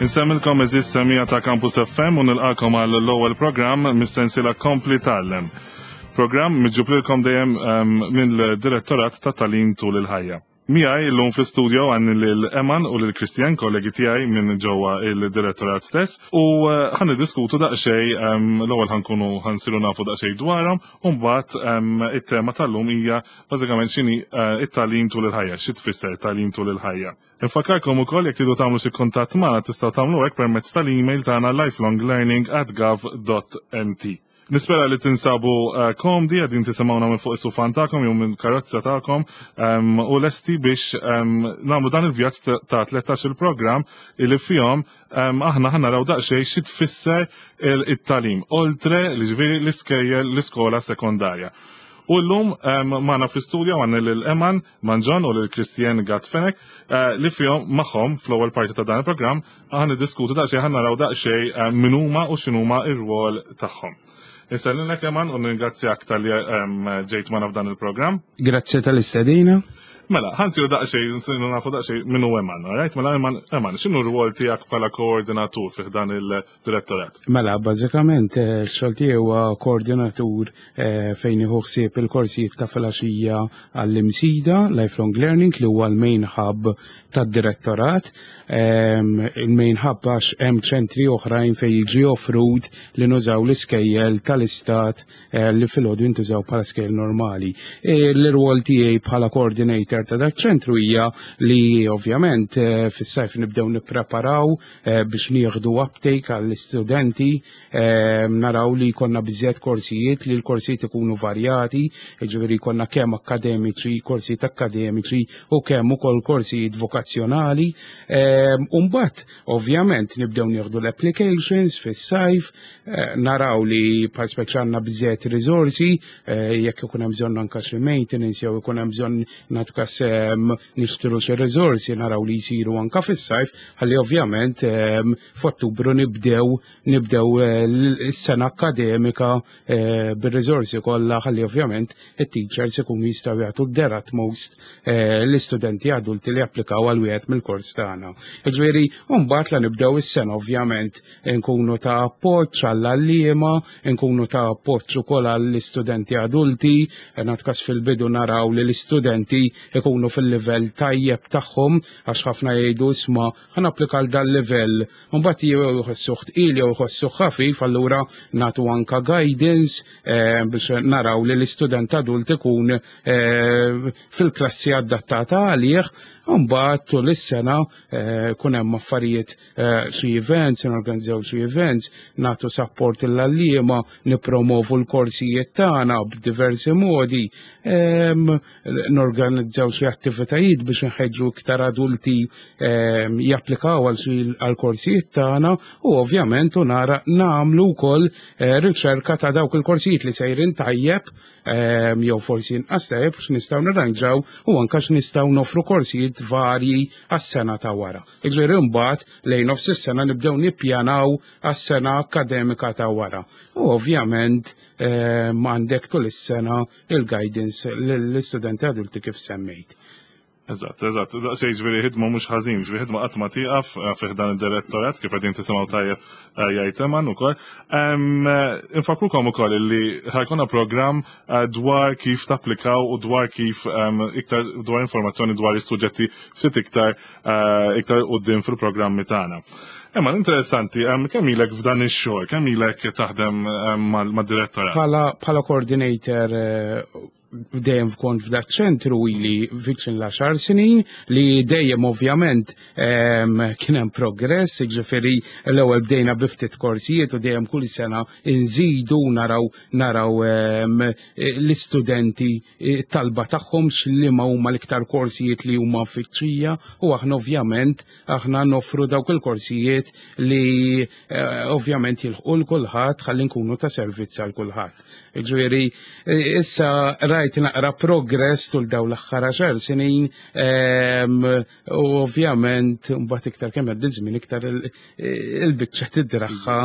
Insemmilkom eżis semija ta' Campus FM u nilqakom għal l-ewwel programm mis-sensiela Kompli Tgħallem. Programm miġġublilkom dejjem ehm, mill-Direttorat ta' Talim tul il-ħajja. Miegħi llum fl-istudio għandni lil Eman u lil Christian, kollegi tiegħi minn ġewwa il-direttorat stess, u eh, ħan niddiskutu daqsxejn ehm, l-ewwel ħankunu ħansiru nafu daqsxejn dwarhom, u mbagħad ehm, it-tema tal-lum hija bażikament x'inhi eh, it-tagħlim tul il-ħajja, xi tfisser tagħlim tul il-ħajja. Infakkarkom ukoll jekk tridu tagħmlu xi kuntatt magħna tistgħu tagħmlu hekk permezz tal-email tagħna lifelonglearning@gov.mt. Nispera li tinsabu eh, komdi għadin tisimgħuna minn fuq is-sufan tagħkom jew minn karozza tagħkom ehm, u lesti biex ehm, nagħmlu dan il-vjaġġ ta' 13 il-programm li fihom ehm, aħna ħa naraw daqsxejn xi tfisser it-talim oltre li ġifieri l-iskejjel l-iskola sekondarja. U llum magħna fl-istudju għandna lil Eman Manġon u lil Christian Gatt Fenech eh, li fihom magħhom fl-ewwel parti ta' dan il-programm Aħna niddiskutu daqsxejn ħa naraw daqsxejn eh, min huma u x'inhuma r-rwol tagħhom. Insellilek Eman u ningrazzjak tal-li ehm, ġejt magħna f'dan il-programm. Grazzi tal-istedina. Mela, ħansiru daqsxejn, nsiru nafu daqsxejn min hu Eman, right? Mela Eman, Eman, x'inhu r-rwol tiegħek bħala koordinatur fih dan il-direttorat? Mela, bażikament eh, x-xogħol tiegħi huwa koordinatur eh, fejn iħu ħsieb il-korsijiet ta' filgħaxija għall-imsida, Lifelong Learning, li huwa l-main hub tad-direttorat. Ehm, il-main hub għax hemm ċentri oħrajn fejn jiġi offrut li nużaw l-iskejjel tal-istat eh, li filgħodu jintużaw bħala skejjel normali. E, l-irwol tiegħi bħala coordinator ta' dak ċentru hija li ovvjament eh, fis-sajf nibdew nippreparaw eh, biex nieħdu uptake għall-istudenti Ehm, naraw li jkollna biżjed korsijiet, li l-korsijiet ikunu varjati, ġifieri jkollna kemm akademiċi, korsijiet akademiċi u kemm ukoll korsijiet vokazzjonali. Ehm, Umbat, ovvjament, nibdew nieħdu l-applications fis-sajf, eh, naraw li bħal speċi għandna biżjed riżorsi, eh, jekk ikun hemm bżonn anke xi maintenance jew ikun hemm bżonn nagħtu kas ehm, nixtru xi riżorsi naraw li jsiru anke fis-sajf, ħalli ovvjament f'Ottubru nibdew nibdew eh, is-sena akademika eh, bir-riżorsi kollha ħalli ovvjament it-teachers ikunu jistgħu jagħtu their utmost eh, l-istudenti adulti li applikaw għal wieħed mill-kors tagħna. Ġifieri, mbagħad la nibdew is-sena ovvjament nkunu ta' appoġġ għall-għalliema, nkunu ta' appoġġ ukoll għall-istudenti adulti, nagħtu fil-bidu naraw li l-istudenti ikunu fil-livell tajjeb tagħhom għax ħafna jgħidu isma' ħa napplika għal dal livell Mbagħad jew jħossuh tqil jew jħossuh ħafif, allura nagħtu anka guidance eh, biex naraw li l-istudent adult ikun eh, fil-klassi adattata għalih. Mbagħad tul is-sena eh, kun hemm affarijiet xi events, norganizzaw xi events, nagħtu support l-għalliema, nippromovu l-korsijiet tagħna b'diversi modi, ehm, norganizzaw xi attivitajiet biex nħeġġu iktar adulti Ehm, japplikaw għal korsijiet tagħna u ovvjament u nara nagħmlu wkoll eh, riċerka ta' dawk il-korsijiet li sejrin tajjeb ehm, jew forsi inqas tajjeb x'nistgħu nirranġaw u anke x'nistgħu nofru korsijiet varji għas-sena ta' wara. Iġifieri mbagħad lejn nofs is-sena nibdew nippjanaw għas-sena akademika ta' wara. U ovvjament ehm, għandek tul is-sena il-guidance lill-istudenti adulti kif semmejt. Eżatt, eżatt. Daqsxejn ġifieri ħidma mhux ħażin, ġifieri ħidma qatt ma tieqaf eh, fih dan id-direttorat kif qegħdin tisimgħu tajjeb eh, jgħid Eman ukoll. Eh, infakrukom ukoll li ħajkonna programm dwar kif tapplikaw u dwar kif iktar dwar informazzjoni dwar is-suġġetti ftit iktar iktar quddiem fil-programmi tagħna. Imma interessanti, kemm ilek f'dan ix-xogħol, kemm ilek taħdem mad-direttorat? Bħala coordinator dejjem kont f'dak ċentru ili viċin l-10 snin li dejjem ovvjament ehm, kien hemm progress, jiġifieri l-ewwel bdejna bi ftit korsijiet u dejjem kull sena nżidu naraw naraw ehm, l-istudenti eh, talba tagħhom x'liema huma l-iktar korsijiet li huma fittxija u aħna ovvjament aħna noffru dawk il-korsijiet li eh, ovvjament jilħqu l kulħadd ħalli nkunu ta' servizz għal kulħadd. Ġifieri eh, issa rajt Rajt naqra progress tul daw l-aħħar 10 snin u ovvjament mbagħad iktar kemm għaddi żmien iktar il-biċċa tidraħħa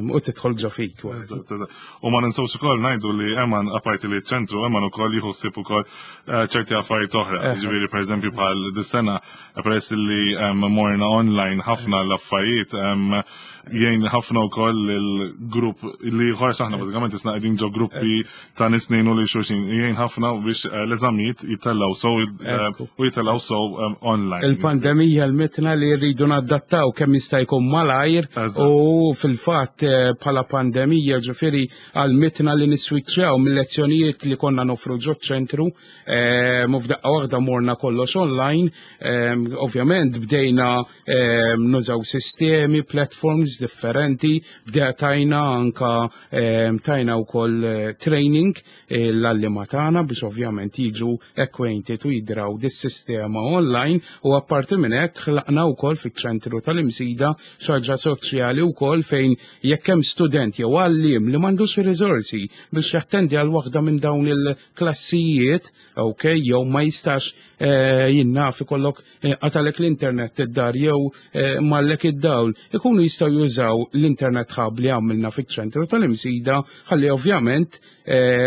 u tidħol ġo fik. U ma ninsewx ukoll ngħidu li Eman apparti li ċentru Eman ukoll jieħu ħsieb ukoll ċerti affarijiet oħra. Ġifieri pereżempju bħal dis-sena peress li morna online ħafna l-affarijiet jgħin ħafna wkoll il-grupp li ħarx aħna bażikament isna qegħdin ġo gruppi ta' nies ngħinu lil xulxin. Jgħin ħafna biex l-eżamijiet jitellaw so u jitellaw so online. Il-pandemija l-mitna li rridu nadattaw kemm jista' jkun malajr u fil-fatt bħala pandemija ġifieri għal-mitna li niswiċċjaw mill-lezzjonijiet li konna nofru ġo ċentru u f'daqqa waħda morna kollox online. Ovvjament bdejna nużaw sistemi, platforms differenti, bdejna tajna anka tajna wkoll training l-għalliema tagħna biex ovvjament jiġu acquainted u jidraw dis-sistema online u apparti minn hekk ħlaqna wkoll fiċ-ċentru tal-Imsida xi ħaġa soċjali wkoll fejn jekk hemm student jew għalliem li m'għandux riżorsi biex jattendi għal waħda minn dawn il-klassijiet, ok, jew ma jistax jinnaf ikollok qatalek l-internet id-dar jew mallek id-dawl, ikunu jistgħu jużaw l-internet hub li għamilna fiċ-ċentru tal-Imsida ħalli ovvjament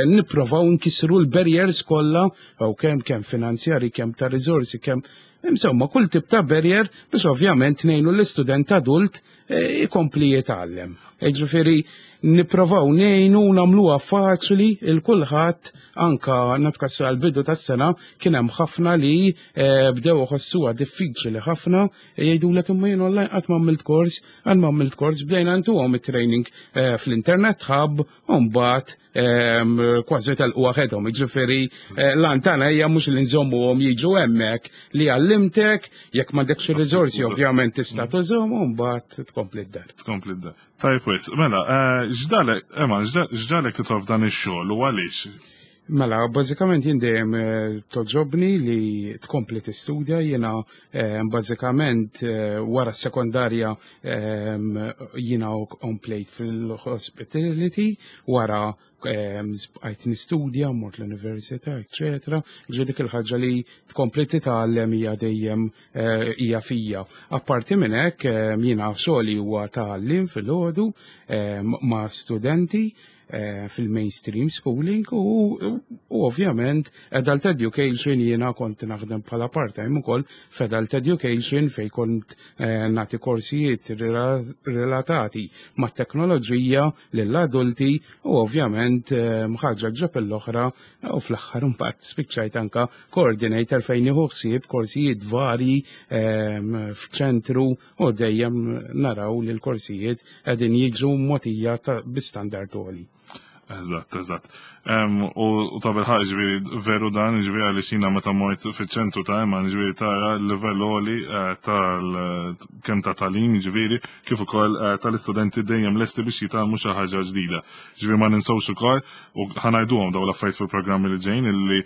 nipprovaw nkissru l-barriers kollha, ok, kemm finanzjari, kemm ta' riżorsi, kemm insomma kull tip ta' barrier biex ovvjament ngħinu l-istudent adult ikompli jitgħallem. Ġifieri nipprovaw ngħinu nagħmluha faċli il kulħadd anka natkassu għal-bidu tas-sena kien hemm ħafna li bdew iħossuha diffiċli ħafna jgħidulek imma jien online qatt ma għamilt kors, qatt ma għamilt kors, bdejna ntuhom it-training fl-internet hub u mbagħad kważi telqu waħedhom. Ġifieri lan tagħna hija mhux li nżommuhom jiġu hemmhekk li għallimtek jekk m'għandekx ir-riżorsi ovvjament tista' tużhom u mbagħad tkompli d-dar. Tkompli d-dar. Tajb wis, mela, x'dalek, Eman, x'dalek titħol f'dan ix-xogħol u għaliex? Mela, bażikament jien dejjem toġobni li tkompli tistudja, jiena bażikament wara s-sekondarja jiena komplejt fil-hospitality, wara bqajt nistudja, mort l-università, eccetera. Ġi dik il-ħaġa li tkompli titgħallem hija dejjem hija fija. Apparti minn hekk jiena xogħli huwa tgħallim fil-għodu ma' studenti fil-mainstream schooling u ovvjament adult education jiena kont naħdem bħala part-time ukoll f'adult education fej kont nagħti korsijiet relatati mat-teknoloġija lill-adulti u ovvjament ħaġa ġab l-oħra u fl-aħħar imbagħad spiċċajt anka coordinator fejn nieħu ħsieb korsijiet vari f'ċentru u dejjem naraw li l-korsijiet qegħdin jiġu mogħtija bi standard għoli. Eżatt. U ta' bilħaq ġifieri veru dan, ġifieri għaliex jiena meta mort fiċ-ċentru ta' Eman, ġifieri tara l-livell għoli tal kemm ta' tagħlim, ġifieri kif ukoll tal-istudenti dejjem lesti biex jitgħallmu xi ħaġa ġdida. Ġifieri ma ninsewx ukoll u ħa ngħiduhom dawn l-affarijiet fil-programmi li ġejjin illi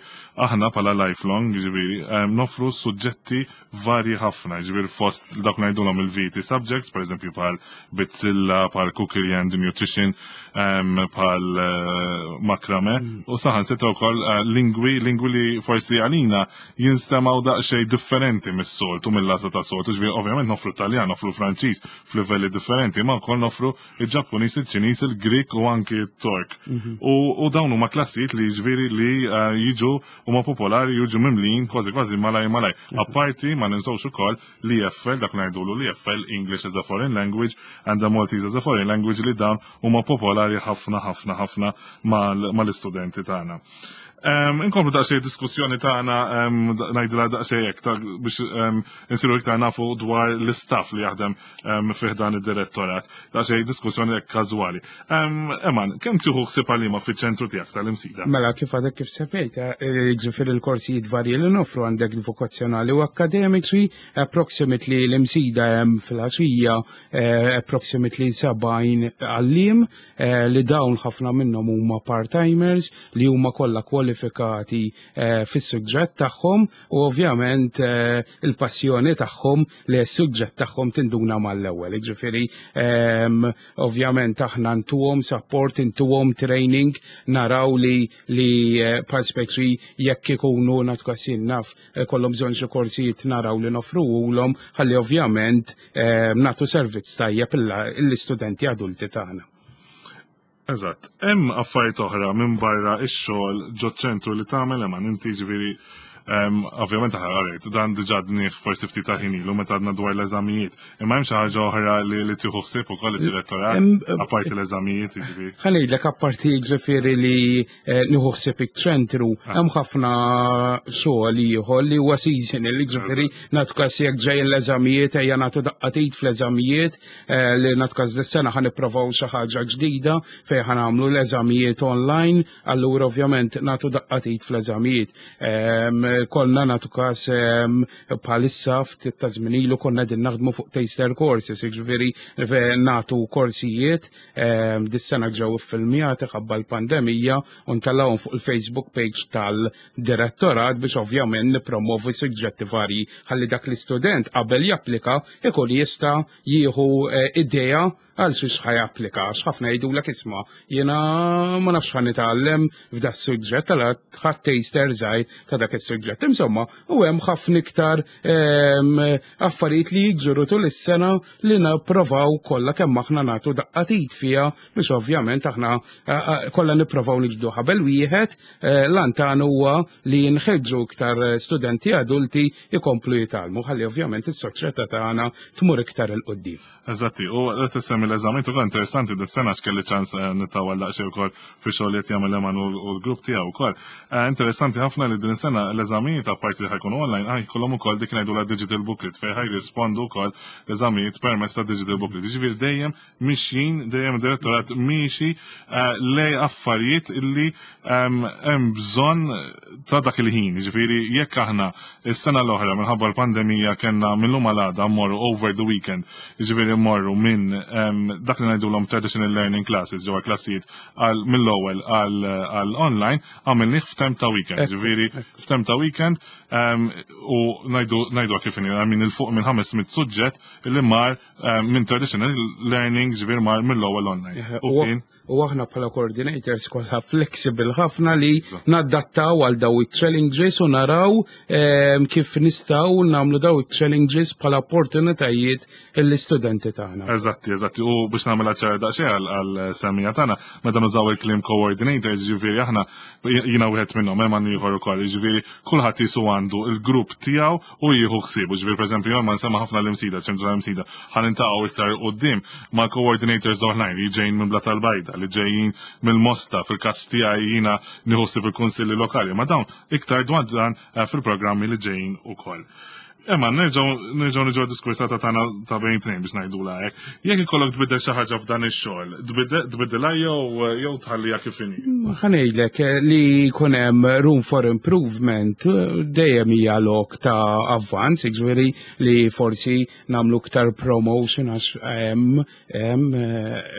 aħna bħala lifelong, ġifieri nofru suġġetti varji ħafna, ġifieri fost dak ngħidulhom il-VT subjects, per eżempju bħal bizzilla, bħal cookery and nutrition, bħal makrame, u saħansitra wkoll lingwi li forsi għalina jinstemaw daqsxejn differenti mis-soltu, mill-għażla ta' soltu, ġifieri ovvjament nofru Taljan, nofru Franċiż f'livelli differenti, ma wkoll nofru il-Ġappuniż, il-Ċiniż, il-Grik u anki t-Tork. U dawn huma klassijiet li ġifieri li jiġu huma popolari, jiġu mimlin kważi kważi malaj malaj. Apparti ma ninsewx ukoll l-EFL, dak ngħidulu l-EFL, English as a Foreign Language and the Maltese as a Foreign Language, li dawn huma popolari ħafna ħafna ħafna mal-istudenti tagħna. Inkomplu daqsxejn diskussjoni tagħna, ngħidilha daqsxejn hekk biex insiru iktar nafu dwar l-istaff li jaħdem fih dan id-direttorat. Daqsxejn diskussjoni hekk każwali. Eman, kemm tieħu ħsieb għalima fiċ-ċentru tiegħek tal-Imsida? Mela, kif għadek kif semmejt, ġifieri l-korsijiet varji li nofru għandek vokazzjonali u akademiċi, approximately l-Imsida hemm fil-għaxija approximately 70 għalliem li dawn ħafna minnhom huma part-timers li huma kollha qualified. kwalifikati fis-suġġett tagħhom u ovvjament il-passjoni tagħhom li s-suġġett tagħhom tinduna mal-ewwel. Ġifieri ovvjament aħna ntuhom support, intuhom training, naraw li bħal speċi jekk ikunu nagħtu naf kollhom bżonn xi korsijiet, naraw li nofruhulhom ħalli ovvjament nagħtu servizz tajjeb l-istudenti adulti tagħna. Eżatt. Hemm affarijiet oħra minn barra ix-xogħol ġo ċentru li tagħmel, Eman, inti? Ġifieri ovvjament aħna dan diġà għednieh forsi ftit ta' ħin ilu meta għedna dwar l-eżamijiet. Imma hemm xi ħaġa oħra li tieħu ħsieb ukoll id-direttorat apparti l-eżamijiet, jiġifieri? Ħa ngħidlek, apparti ġifieri li nieħu ħsieb iċ-ċentru, hemm ħafna xogħol ieħor li huwa seasonal, ġifieri nagħtu każ jekk ġej l-eżamijiet, ejja nagħtu daqqa t'id fl-eżamijiet, li nagħtu każ dis-sena ħa nipprovaw xi ħaġa ġdida fejn ħa nagħmlu l-eżamijiet online, allura ovvjament nagħtu daqqa t'id fl-eżamijiet. Konna nagħtu każ bħalissa, ftit ta' żmien ilu konna qegħdin naħdmu fuq taster courses, ġifieri nagħtu korsijiet, dis-sena ġew iffilmjati ħabba l-pandemija u ntellgħuhom fuq il-Facebook page tal-direttorat biex ovvjament nipromovu suġġetti varji ħalli dak l-istudent qabel japplika ikun jista' jieħu idea għal xiex ħa japplika, għax ħafna jgħidulek, "Isma', jiena ma nafx ħa nitgħallem f'da suġġett", għala ħadt taster żgħir ta' dak is-suġġett. Insomma, u hemm ħafna iktar affarijiet li jiġru tul is-sena li nipprovaw kollha kemm aħna nagħtu daqqa t'id fiha biex ovvjament aħna kollha nipprovaw niġbdu ħabel wieħed. L-għan tagħna huwa li nħeġġu iktar studenti adulti jkomplu jitgħallmu ħalli ovvjament is-soċjetà tagħna tmur iktar 'il quddiem. Eżatti, u qed tissemmi l-eżami ukoll, interessanti dis-sena x'kelli ċans nittawal daqsxejn ukoll fi xogħol li qed jagħmel Eman u l-grupp tiegħu wkoll. Interessanti ħafna li din is-sena l-eżamijiet, apparti li ħa jkunu online, ħa jkollhom ukoll dik ngħidu la digital booklet fejn ħa jirrispondu wkoll l-eżamijiet permezz ta' digital booklet. Jiġifieri dejjem mixjin, dejjem direttorat miexi lej affarijiet illi hemm bżonn ta' dak il-ħin. Jiġifieri jekk aħna is-sena l-oħra minħabba l-pandemija kellna mill-lum għal għada mmorru over the weekend, jiġifieri mmorru minn dak li ngħidulhom traditional learning classes ġewwa klassijiet għal mill-ewwel għal online, għamilnih f'temp ta' weekend. Ġifieri f'temp ta' weekend u ngħidu kif inhi minn il fuq minn 500 suġġett li mar minn traditional learning, ġifieri mar mill-ewwel online. U aħna bħala coordinators kollha flexible ħafna li nadattaw għal daw il-challenges u naraw kif nistgħu nagħmlu daw il-challenges bħala opportunitajiet l-istudenti tagħna. Eżatti. U biex nagħmel ċara daqsxejn għal semmiegħa tagħna, meta nużaw il-kliem coordinators, ġifieri aħna, jiena wieħed minnhom, hemm ieħor ukoll, ġifieri kulħadd jisu għandu il-grupp tiegħu u jieħu ħsiebu. Ġifieri pereżempju ma nsemma ħafna l-Imsida, ċentru l-Imsida, ħa niltaqgħu iktar quddiem ma' coordinators oħrajn li ġejjin minn Blata l-Bajda, li ġejjin mill-Mosta, fil-każ tiegħi jiena nieħu ħsieb il-kunsilli lokali, ma dawn iktar dwar dan fil-programmi li ġejjin ukoll. Imma nerġgħu niġu diskors ta' tagħna ta' bejn tnejn biex ngħidu hekk. Jekk ikollok tbiddel xi ħaġa f'dan ix-xogħol, tbiddilha jew tħalliha kif inhi? Ħa ngħidlek, li jkun hemm room for improvement dejjem hija lok ta' avvanz, jiġifieri li forsi nagħmlu iktar promotion għax hemm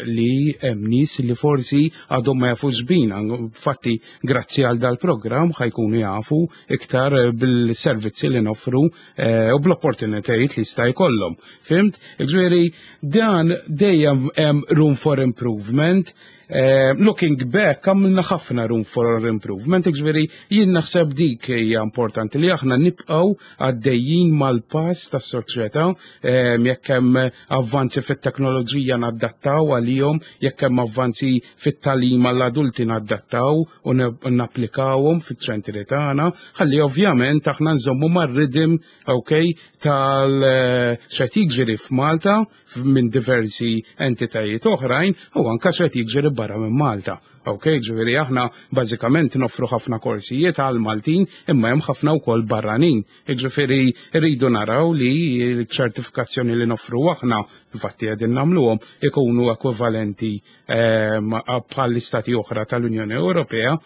li hemm nies li forsi għadhom ma jafux bina. Infatti grazzi għal dal-programm ħa jkunu jafu iktar bil-servizzi li noffru u bl-opportunitajiet li jista' jkollhom. Fhimt? Ġifieri dan dejjem hemm room for improvement. Looking back, għamilna ħafna room for improvement, ġifieri jien naħseb dik hija importanti li aħna nibqgħu għaddejjin mal-pass tas-soċjetà, jekk hemm avvanzi fit-teknoloġija nadattaw għalihom, jekk hemm avvanzi fit-tagħlim għall-adulti nadattaw u napplikawhom fiċ-ċentri tagħna, ħalli ovvjament aħna nżommu mar-ritm, okay, tal x'qed jiġri f'Malta minn diversi entitajiet oħrajn u anka x'qed jiġri barra minn Malta. Ok, ġifieri aħna bażikament noffru ħafna korsijiet għal Maltin imma hemm ħafna wkoll barranin. Ġifieri rridu naraw li l-ċertifikazzjoni li noffru aħna, infatti qegħdin nagħmluhom, ikunu ekwivalenti bħall-istati oħra tal-Unjoni Ewropea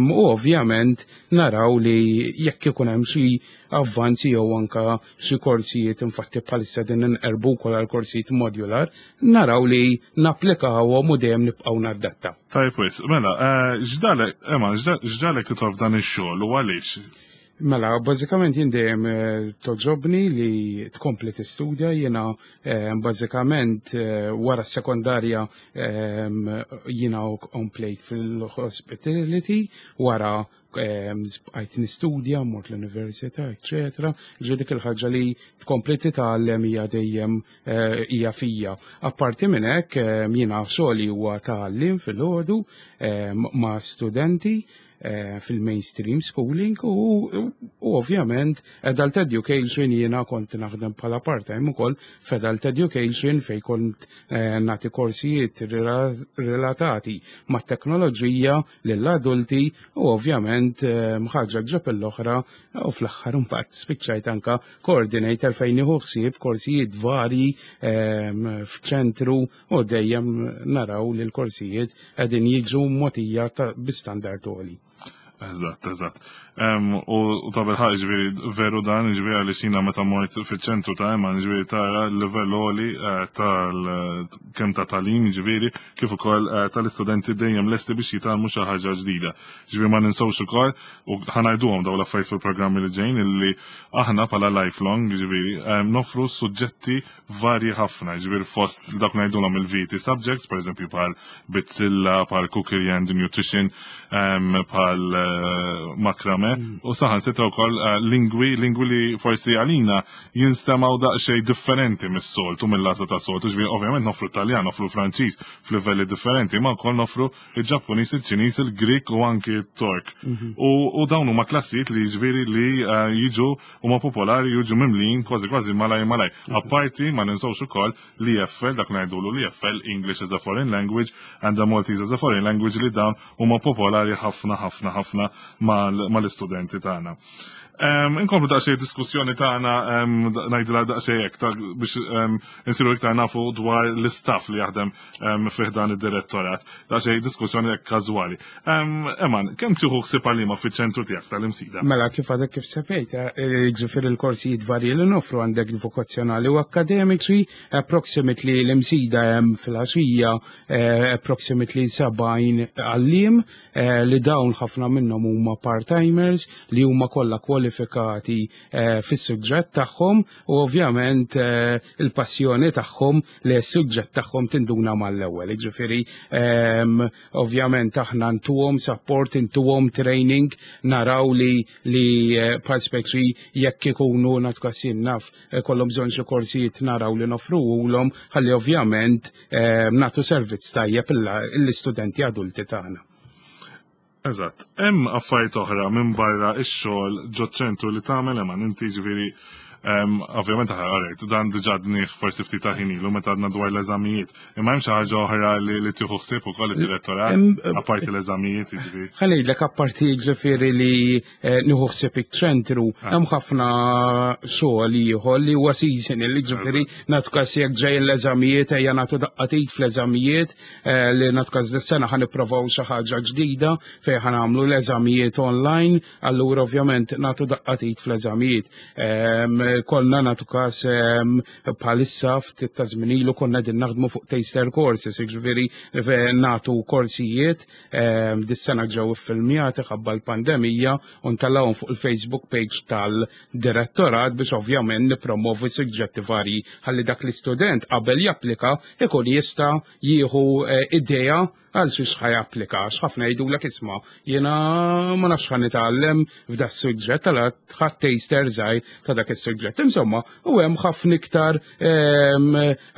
u ovvjament naraw li jekk ikun hemm xi avvanzi jew anka xi korsijiet, infatti bħalissa din inqerbu wkoll għal korsijiet modular, naraw li napplikawhom u dejjem nibqgħu nadattaw. Tajjeb wis, mela, eh, x'dalek, Ema, x'dalek titolb dan ix-xogħol u għaliex? Mela, bażikament jien dejjem eh, toġobni li tkompli tistudja, jiena eh, bażikament wara s-sekondarja jiena komplejt fil-hospitality, wara bqajt nistudja, mort l-università, eċetera. Ġifieri dik il-ħaġa li tkompli titgħallem hija dejjem eh, hija fija. Apparti minn hekk jiena xogħli huwa tgħallim fil-ħodu ma' studenti eh, fil-mainstream schooling u ovvjament adult education jiena kont naħdem bħala part-time ukoll f'adult education fejn kont eh, nagħti korsijiet relatati mat-teknoloġija lill-adulti u ovvjament eh, ħaġa ġab l-oħra u fl-aħħar imbagħad spiċċajt anka coordinator fejn nieħu ħsieb korsijiet varji f'ċentru u dejjem naraw li l-korsijiet qegħdin jiġu mogħtija bi standard għoli. Eżatt, eżatt. U ta' bilħaq ġifieri veru dan, ġifieri għaliex jiena meta mort fiċ-ċentru ta' Eman, ġifieri tara l-livell għoli eh, tal kemm ta' tagħlim, ġifieri kif ukoll eh, tal-istudenti dejjem lesti biex jitgħallmu xi ħaġa ġdida. Ġifieri ma ninsewx ukoll u ħanajduhom dawn l-affarijiet fil-programmi li ġejjin illi aħna bħala lifelong, ġifieri nofru suġġetti varji ħafna, ġifieri fost dak ngħidulhom il-VT subjects, per eżempju bħal bizzilla, bħal cookery and nutrition, bħal eh, makrame, u saħansitra wkoll eh, lingwi, lingwi li forsi għalina jinstemaw daqsxejn differenti mis-soltu, mill-għażla ta' soltu, ġifieri ovvjament nofru Taljan, nofru Franċiż f'livelli differenti, ma wkoll nofru il-Ġappuniż, il-Ċiniż, il-Grik u anki t-Tork. U dawn huma klassijiet li ġifieri li eh, jiġu huma popolari jiġu mimlijin kważi kważi malaj malaj. Apparti ma ninsewx ukoll li EFL, dak ngħidulu li EFL, English as a Foreign Language and the Maltese as a Foreign Language li dawn huma popolari ħafna ħafna ħafna mal-istudenti tagħna. Inkomplu daqsxejn diskussjoni tagħna ngħidilha daqsxejn hekk biex insiru iktar nafu dwar l-istaff li jaħdem fih dan id-direttorat. Daqsxejn diskussjoni hekk każwali. Eman, kemm tieħu ħsieb għalima fiċ-ċentru tiegħek tal-Imsida? Mela kif għadek kif semmejt, eh, ġifieri l-korsijiet varji li nofru għandek vokazzjonali u akademiċi, approximately l-Imsida hemm fil-għaxija eh, approximately 70 għalliem eh, li dawn ħafna minnhom huma part-timers li huma kollha kwalifikati fis-suġġett tagħhom u ovvjament il-passjoni tagħhom li s-suġġett tagħhom tinduna mal-ewwel. Ġifieri ehm, ovvjament aħna ntuhom support, intuhom training, naraw li li eh, bħal speċi jekk ikunu natkasin naf eh, kollhom bżonn xi korsijiet naraw li nofruhulhom ħalli ovvjament ehm, nagħtu servizz tajjeb l-istudenti adulti tagħna. Eżatt. Hemm affarijiet oħra minn barra x-xogħol ġo ċentru li tagħmel hemm inti ġifieri ovvjament għarajt, dan diġà dnieh forsi ftit ta' ħin ilu meta għadna dwar l-eżamijiet. Imma hemm xi ħaġa oħra li tieħu ħsieb ukoll id-direttorat, apparti l-eżamijiet jiġifieri. Ħa ngħidlek apparti ġifieri li eh, nieħu ħsieb iċ-ċentru, ah. hemm ħafna xogħol ieħor li huwa seasonal, ġifieri nagħtu każ jekk ġejjin l-eżamijiet ejja nagħtu daqqa t'id fl-eżamijiet, Eh, li natkaż dis-sena ħan nipprovaw xi ħaġa ġdida fejn ħan nagħmlu l-eżamijiet online, allura ovvjament nagħtu daqqa t'id fl-eżamijiet. Ehm, konna nagħtu każ ehm, bħalissa ftit ta' żmien ilu konna din naħdmu fuq taster courses, jiġifieri nagħtu korsijiet ehm, dis-sena ġew iffilmjati ħabba l-pandemija u ntellgħuhom fuq il-Facebook page tal-direttorat biex ovvjament nippromovu suġġetti varji ħalli dak l-istudent qabel japplika ikun jista' jieħu eh, idea għal xiex ħa japplika, għax ħafna jgħidulek isma' jiena ma nafx ħa nitgħallem f'da suġġett għal ħadd taster żgħir ta' dak is-suġġett. Insomma, u hemm ħafna iktar ehm,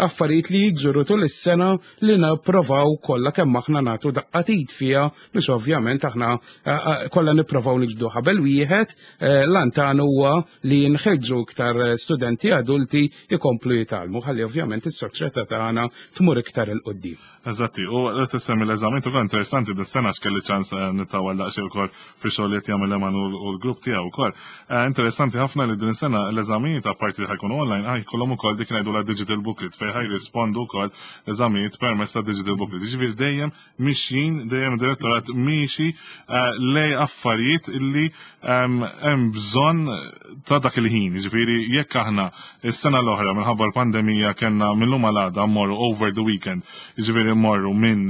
affarijiet li jiġru tul is-sena li nipprovaw kollha kemm aħna nagħtu daqqa t'id fiha biex ovvjament aħna eh, eh, kollha nipprovaw niġbdu ħabel wieħed, l-għan huwa li nħeġġu iktar studenti adulti jkomplu jitgħallmu ħalli ovvjament is-soċjetà tagħna tmur iktar 'il quddiem. Eżatti, u qed issemmi mill-eżamijiet ukoll interessanti dis-sena x'kelli ċans nittawal daqsxejn ukoll fix-xogħol li qed jagħmel Eman u l-grupp tiegħu wkoll. Interessanti ħafna li din is-sena l-eżamijiet apparti li ħa jkunu online ħa jkollhom ukoll dik ngħidulha digital booklet fejn ħa jirrispondu wkoll l-eżamijiet permezz ta' digital booklet. Jiġifieri dejjem mixjin, dejjem direttorat miexi lej affarijiet illi hemm bżonn ta' dak il-ħin. Jiġifieri jekk aħna is-sena l-oħra minħabba l-pandemija kellna mill-lum għal għada mmorru over the weekend, jiġifieri mmorru minn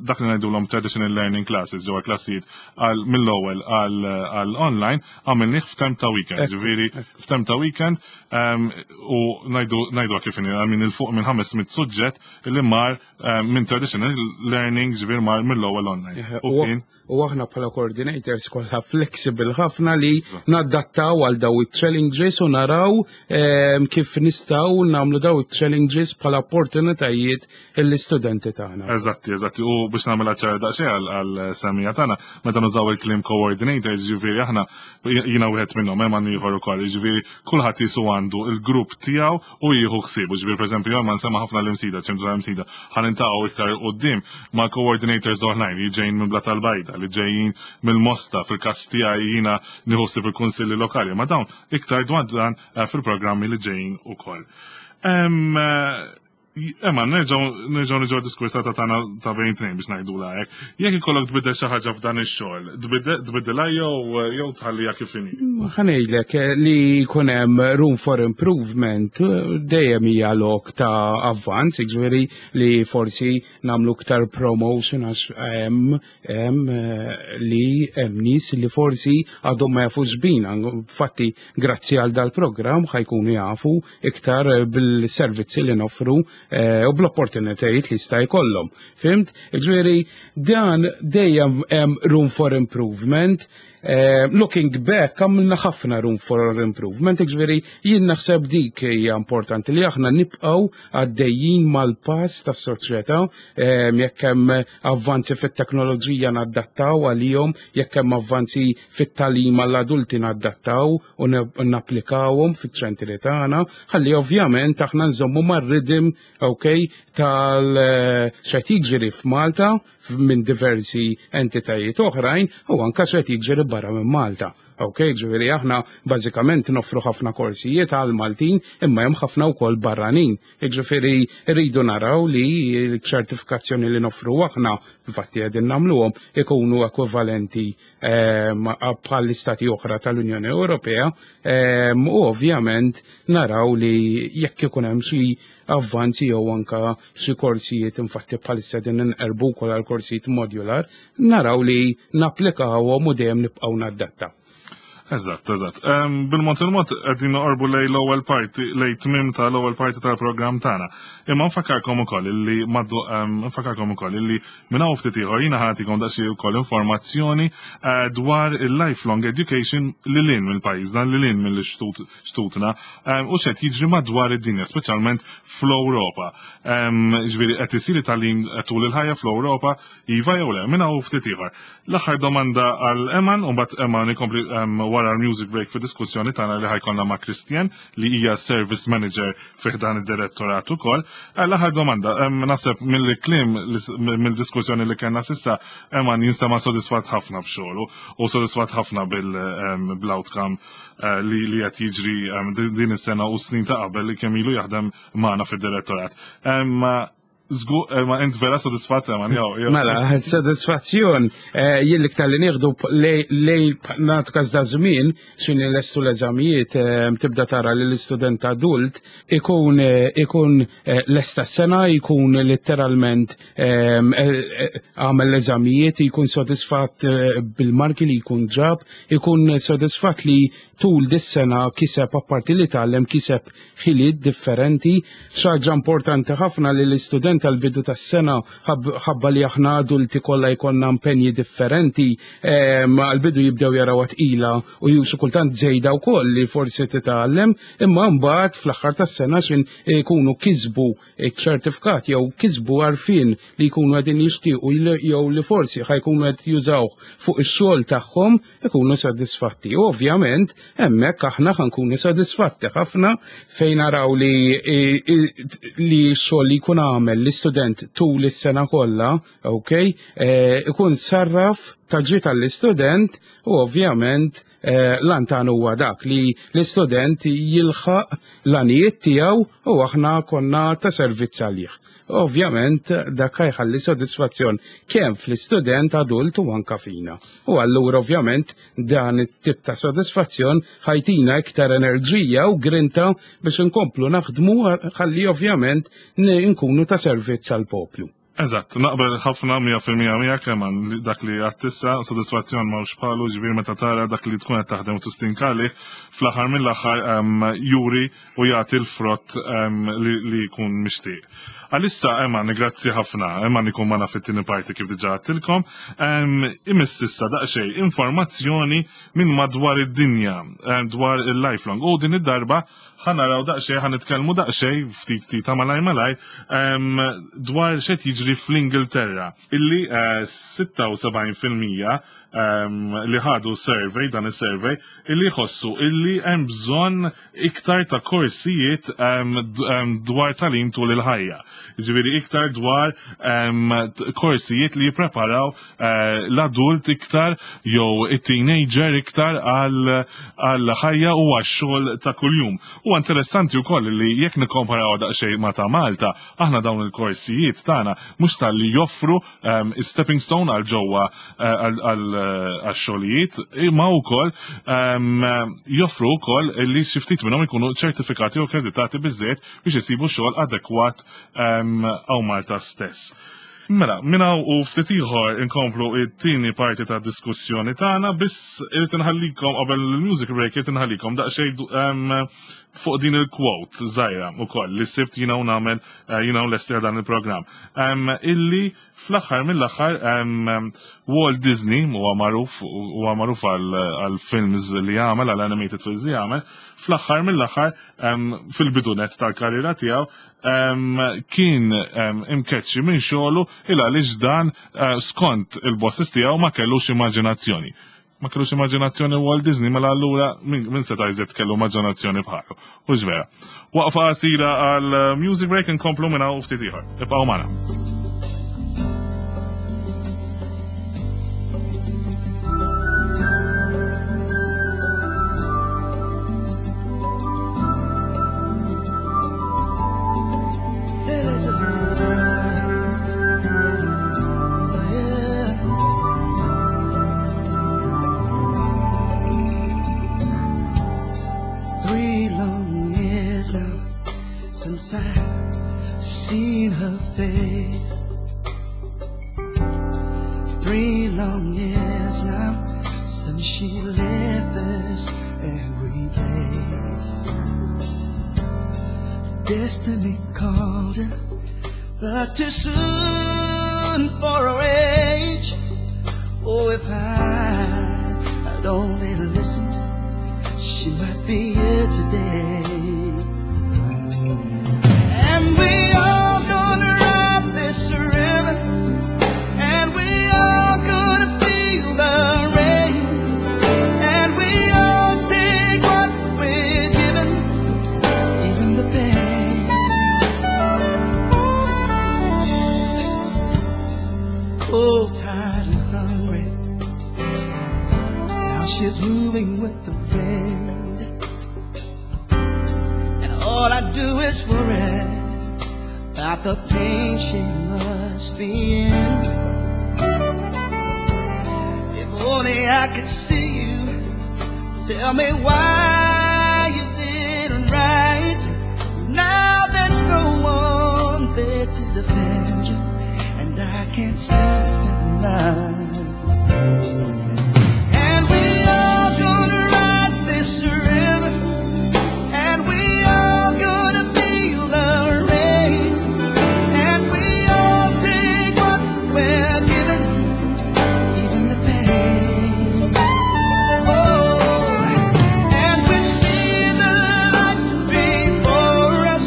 dak li ngħidulhom traditional learning classes ġewwa klassijiet għal mill-ewwel għal online, għamilnih f'temp ta' weekend. Jiġifieri f'temp ta' weekend u ngħidu kif inhi minn il fuq minn 500 suġġett li mar minn traditional learning ġifieri mar mill-ewwel online. U aħna bħala coordinators kollha flexible ħafna li nadattaw għal daw il-challenges u naraw kif nistgħu nagħmlu daw il-challenges bħala opportunitajiet l-istudenti tagħna. Eżatti. U biex nagħmel ċara daqsxejn għal semija tagħna, meta nużaw il-kliem coordinators, ġifieri aħna jiena wieħed minnhom hemm ieħor ukoll, ġifieri kulħadd jisu għandu il-grupp tiegħu u jieħu ħsieb. Ġifieri pereżempju ma nsemma ħafna l-Imsida, ċentru l-Imsida, ħa niltaqgħu iktar quddiem ma' coordinators oħrajn li ġejjin minn Blata l-Bajda, li ġejjin mill-Mosta, fil-każ tiegħi jiena nieħu ħsieb il-kunsilli lokali, ma dawn iktar dwar dan fil-programmi li ġejjin ukoll. Emma, nerġgħu niġu diskors ta' tagħna ta' bejn tnejn biex ngħidu hekk. Jekk ikollok tbiddel xi ħaġa f'dan ix-xogħol, tbiddilha jew tħalliha kif inhi? Ħa ngħidlek li jkun hemm room for improvement dejjem hija lok ta' avvanz, jiġifieri li forsi nagħmlu iktar promotion għax hemm li hemm nies li forsi għadhom ma jafux bina. Infatti, grazzi għal dal-programm ħa jkunu jafu iktar bil-servizzi li noffru u bl-opportunitajiet li jista' jkollhom. Fhimt? Ġifieri dan dejjem hemm room for improvement. Looking back, għamilna ħafna room for improvement, ġifieri jien naħseb dik hija importanti li aħna nibqgħu għaddejjin mal-pass tas-soċjetà, jekk hemm avvanzi fit-teknoloġija nadattaw għalihom, jekk hemm avvanzi fit-tagħlim għall-adulti nadattaw u napplikawhom fiċ-ċentri tagħna, ħalli ovvjament aħna nżommu mar-rhythm, okay, tal x'qed jiġri f'Malta minn diversi entitajiet oħrajn u anka x'qed jiġri barra minn Malta. Ok, ġifieri aħna bażikament noffru ħafna korsijiet għal Maltin imma hemm ħafna wkoll barranin. Ġifieri rridu naraw li l-ċertifikazzjoni li noffru aħna, infatti qegħdin nagħmluhom, ikunu ekwivalenti bħal istati oħra tal-Unjoni Ewropea u ovvjament naraw li jekk ikun hemm xi avvanzi jew anka xi korsijiet, infatti bħalissa din inqerbu wkoll għal korsijiet modular, naraw li napplikawhom u dejjem nibqgħu nadattaw. Eżatt. Bil-mod il-mod qegħdin noqorbu lej l-ewwel parti, lej tmim tal-ewwel parti tal-programm tagħna. Imma nfakkarkom ukoll illi maddu nfakkarkom ukoll illi minn hawn ftit ieħor jiena ħa nagħtikom daqsxejn ukoll informazzjoni dwar il-lifelong education lil hinn mill-pajjiżna, lil hinn mill-xtutna u x'qed jiġri madwar id-dinja, speċjalment fl-Ewropa. Ġifieri qed isir tagħlim tul il-ħajja fl-Ewropa, iva jew le, minn hawn ftit ieħor. L-aħħar domanda għal Eman, u mbagħad Eman ikompli wara l-music break fi diskussjoni tagħna li ħa jkollna ma' Christian li hija service manager fi dan id-direttorat ukoll. L-aħħar domanda, naħseb mill-kliem mill-diskussjoni li kellna s'issa, Eman jinstema' sodisfatt ħafna b'xogħlu u sodisfatt ħafna bil-outcome li qed jiġri din is-sena u snin ta' qabel li kemm ilu jaħdem magħna fid-direttorat. Ma int vera sodisfatt, ma jew. Mela, sodisfazzjon, jien l-iktar li nieħdu lej nagħtu każ da żmien x'inhi lestu l-eżamijiet, tibda tara li l-istudent adult ikun lesta s-sena, jkun letteralment għamel l-eżamijiet, jkun sodisfatt bil-marki li jkun ġab, jkun sodisfatt li tul dis-sena kiseb apparti li tgħallem kiseb ħiliet differenti. Xi ħaġa importanti ħafna li l-istudent tal-bidu tas-sena ħabba li aħna adulti kollha jkollna impenji differenti, għal-bidu jibdew jaraw tqila u xi kultant żejda wkoll li forsi titgħallem, imma mbagħad fl-aħħar tas-sena xin jkunu kisbu ċertifikat jew kisbu għarfien li jkunu qegħdin jixtiequ jew li forsi ħa jkunu qed jużaw fuq ix-xogħol tagħhom ikunu sodisfatti. Ovvjament, hemmhekk aħna ħa nkunu sodisfatti ħafna fejn naraw li x-xogħol li jkun għamel. l-istudent tul is-sena kollha, ok, ikun sarraf ta' ġid għall-istudent u ovvjament l-għan tagħna huwa dak li l-istudent jilħaq l-għanijiet tiegħu u aħna konna ta' servizz għalih. Ovvjament dak jħalli sodisfazzjon kemm fl-istudent adult u anka fina. U allura ovvjament dan it-tip ta' sodisfazzjon ħajtina iktar enerġija u grinta biex inkomplu naħdmu ħalli ovvjament nkunu ta' servizz għall-poplu. Eżatt, naqbel ħafna 100% miegħek Eman li dak li għedt issa, sodisfazzjon m'hawnx bħalu, ġifieri meta tara dak li tkun qed taħdem u tistinka għalih, fl-aħħar mill-aħħar juri u jagħti l-frott li jkun mixtieq. Għalissa Eman, grazzi ħafna, Eman ikun magħna fit-tieni parti kif diġà għedtilkom. Imiss issa daqsxejn informazzjoni minn madwar id-dinja dwar il-lifelong. U din id-darba ħa naraw daqsxejn, ħa nitkellmu daqsxejn ftit ftit ta' malaj malaj dwar x'qed jiġri fl-Ingilterra illi 76% li ħadu survey, dan is-survey, illi jħossu illi hemm bżonn iktar ta' korsijiet dwar tagħlim tul il-ħajja. Ġifieri iktar dwar korsijiet li jippreparaw l-adult iktar jew it-teenager iktar għal ħajja u għax-xogħol ta' kuljum. U interessanti wkoll li jekk nikkomparaw daqsxejn ma' ta' Malta, aħna dawn il-korsijiet tagħna mhux talli joffru stepping stone għal ġewwa għal xogħlijiet, imma wkoll joffru wkoll li xi ftit minnhom ikunu ċertifikati u akkreditati biżejjed biex isibu xogħol adekwat hawn Malta stess. Mela, minn hawn u ftit ieħor inkomplu it-tieni parti ta' diskussjoni tagħna, biss irid inħallikom qabel il-music break, irid inħallikom daqsxejn fuq din il-quote żgħira ukoll li sibt jiena u nagħmel jiena u lesti dan il-programm. Illi fl-aħħar mill-aħħar Walt Disney huwa magħruf għal films li jagħmel, għal animated films li jagħmel, fl-aħħar mill-aħħar fil-bidunet tal-karriera tiegħu kien imkeċċi minn xogħlu il għaliex dan skont il-bosses tiegħu ma kellux immaġinazzjoni. Ma kellux immaġinazzjoni Walt Disney, mela allura min seta' jżid kellu immaġinazzjoni bħalu? U vera. Waqfa qasira għal music break, nkomplu minn hawn ftit ieħor. Ibqgħu magħna. Elizabeth. Yeah. 3 long years now since I seen her face. 3 long years now since she left this angry place. Destiny called her, but too soon for her age. Oh, if I had only listened, she might be here today. And we all gonna ride this river, and we all gonna feel the rain, and we all take what we're given, even the pain. Oh, tired and hungry. Now she's moving with the wind. And all I do is worry about the pain she must be in. If only I could see you, tell me why you didn't write. Now there's no one there to defend you, and I can't sleep at night. And we all gonna ride this river, and we all gonna feel the rain, and we all take what we're given, even the pain. Oh, and we see the light before us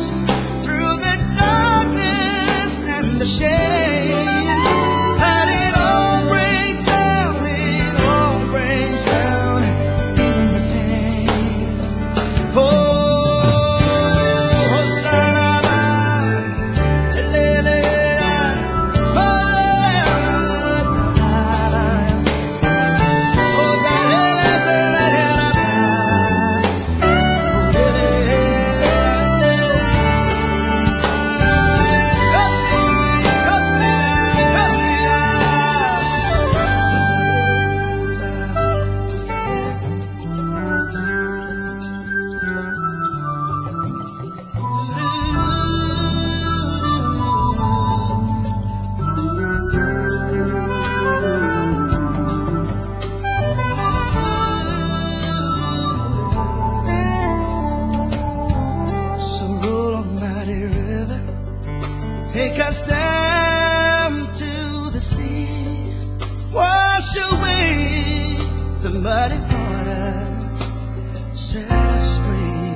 through the darkness and the shame, and it all breaks Take us down to the sea. Wash away the muddy waters. Set us free.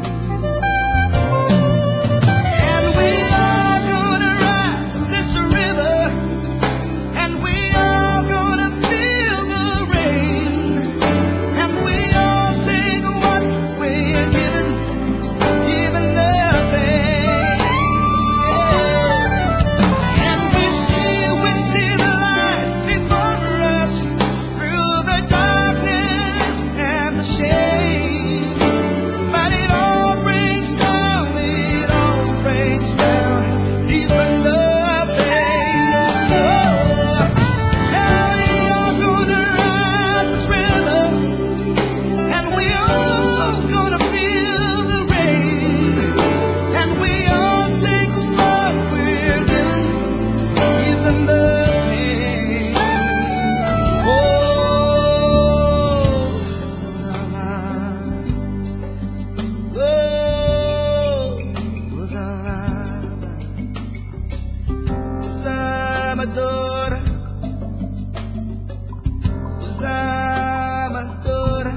And we are gonna ride this river. And we are gonna feel the rain. And we all take what we're given, even the pain. Yeah. And we see the light before us through the darkness and the shame. But it all breaks down, it all breaks down, even the pain. Oh, now we are gonna ride this river, and we all gonna feel the rain, and we all take what we're given, even the pain. Oh, oh, Zamadora, Zamadora.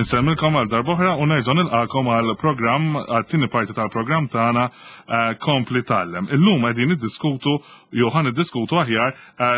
Insellmilkom għal darb'oħra u nerġa' nilqakom għal programm għat-tieni parti tal-programm tagħna Kompli Tgħallem. Illum qegħdin niddiskutu jew ħa niddiskutu aħjar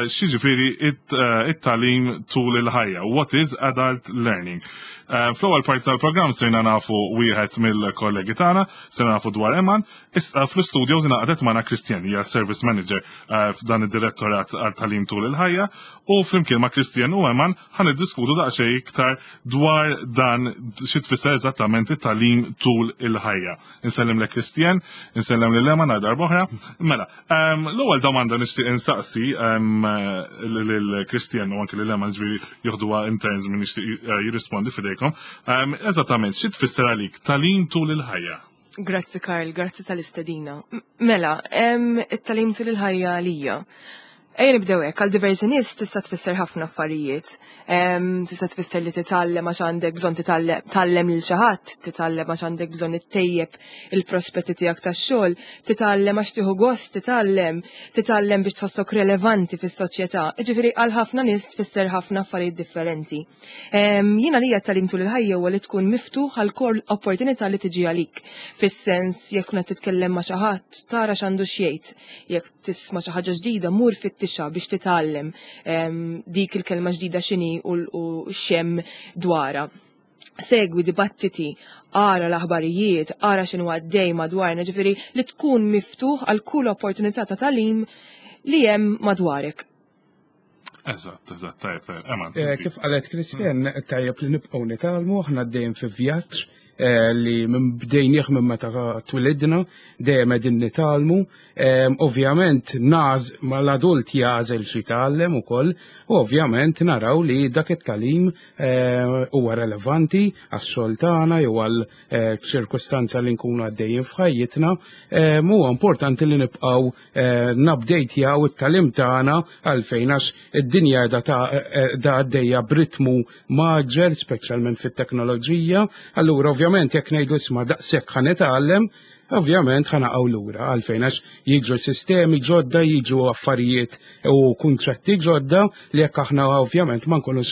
x'jiġifieri it-tagħlim tul il-ħajja. What is adult learning? Fl-ewwel parti tal-programm sirna nafu wieħed mill-kollegi tagħna, sirna nafu dwar Eman, issa fl-istudio ingħaqdet magħna Christian, hija service manager f'dan id-direttorat għal tagħlim tul il-ħajja, u flimkien ma' Christian u Eman ħa niddiskutu daqsxejn iktar dwar dan xi tfisser eżattament it-tagħlim tul il-ħajja. Insellem lil Christian, insellem lil Eman għal darb'oħra. Mela, l-ewwel domanda nixtieq insaqsi lil Christian u anke lil Eman, ġifieri joħduha in turns min jixtieq jirrispondi f'idejkom. Eżattament xi tfisser għalik tagħlim tul il-ħajja? Grazzi Karl, grazzi tal-istedina. Mela, it-tagħlim tul il-ħajja għalija. Ejja nibdew hekk, għal diversi nies tista' tfisser ħafna affarijiet. Tista' tfisser li titgħallem għax għandek bżonn tgħallem lil xi ħadd, titgħallem għax għandek bżonn ittejjeb il-prospetti tiegħek tax-xogħol, titgħallem għax tieħu gost titgħallem, titgħallem biex tħossok relevanti fis-soċjetà. Jiġifieri għal ħafna nies tfisser ħafna affarijiet differenti. Jiena lija t-tagħlim tul il-ħajja huwa li tkun miftuħ għal kull opportunità li tiġi għalik. Fis-sens jekk tkun qed titkellem ma' xi ħadd, tara x'għandu x'jgħid. Jekk tisma' xi ħaġa ġdida, mur fittixha biex titgħallem dik il-kelma ġdida x'inhi u x'hemm dwarha. Segwi dibattiti, ara l-aħbarijiet, ara x'inhu għaddej madwarna, ġifieri li tkun miftuħ għal kull opportunità ta' tagħlim li hemm madwarek. Eżatt, tajjeb, tajjeb. Eman, inti. Kif qalet Christian, tajjeb li nibqgħu nitgħallmu, aħna dejjem fi vjaġġ li minn bdejnieh minn meta twilidna, dejjem qegħdin nitgħallmu. Ovvjament naż mal-adult jagħżel xi tgħallem ukoll, u ovvjament naraw li dak it-tagħlim huwa relevanti għax-xogħol tagħna jew għal ċirkustanza li nkunu għaddejjin f'ħajjitna. Huwa importanti li nibqgħu nupdatjaw it-tagħlim tagħna għalfejn għax id-dinja qiegħda da għaddejja b'ritmu maġġel, speċjalment fit-teknoloġija. Allura ovvjament jekk ngħidu isma' daqshekk ħa nitgħallem, ovvjament ħa naqgħu lura għalfejn għax jiġu sistemi ġodda, jiġu affarijiet u kunċetti ġodda li jekk aħna ovvjament ma nkunux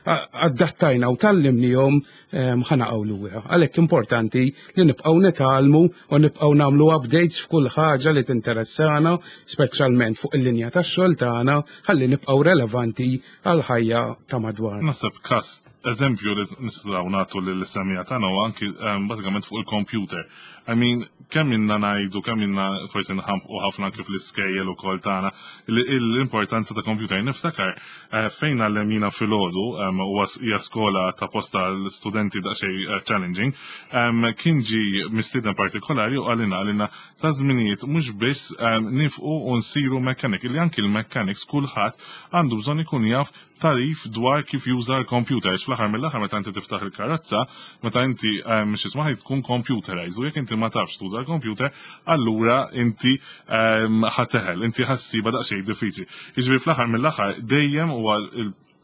adattajna u tgħallimnihom, ħa naqgħu lura. Għalhekk importanti li nibqgħu nitgħallmu u nibqgħu nagħmlu updates f'kull ħaġa li tinteressana, speċjalment fuq il-linja tax-xogħol tagħna, ħalli nibqgħu relevanti għall-ħajja ta' madwarna. Naħseb każ eżempju li nistgħu nagħtu lill-semmiegħa tagħna huwa anki bażikament fuq il-computer. Kemm inna ngħidu, kemm inna forsi nħampqu ħafna kif l-iskejjel ukoll tagħna l-importanza ta' computer. Niftakar fejn għallemina filgħodu, huwa hija skola ta' posta l-studenti daqsxejn challenging, kien ġi mistieden partikolari u qalilna ta' żminijiet mhux biss nifqu u nsiru mechanic, li anki l-mechanics kulħadd għandu bżonn ikun jaf tagħrif dwar kif juża l-computer. Għax fl-aħħar mill-aħħar meta inti tiftaħ il-karozza, meta inti x'isma' tkun computerized u jekk inti ma tafx tuża l-computer, allura inti ħa teħel, inti ħa ssibha daqsxejn diffiċli. Jiġifieri fl-aħħar mill-aħħar dejjem huwa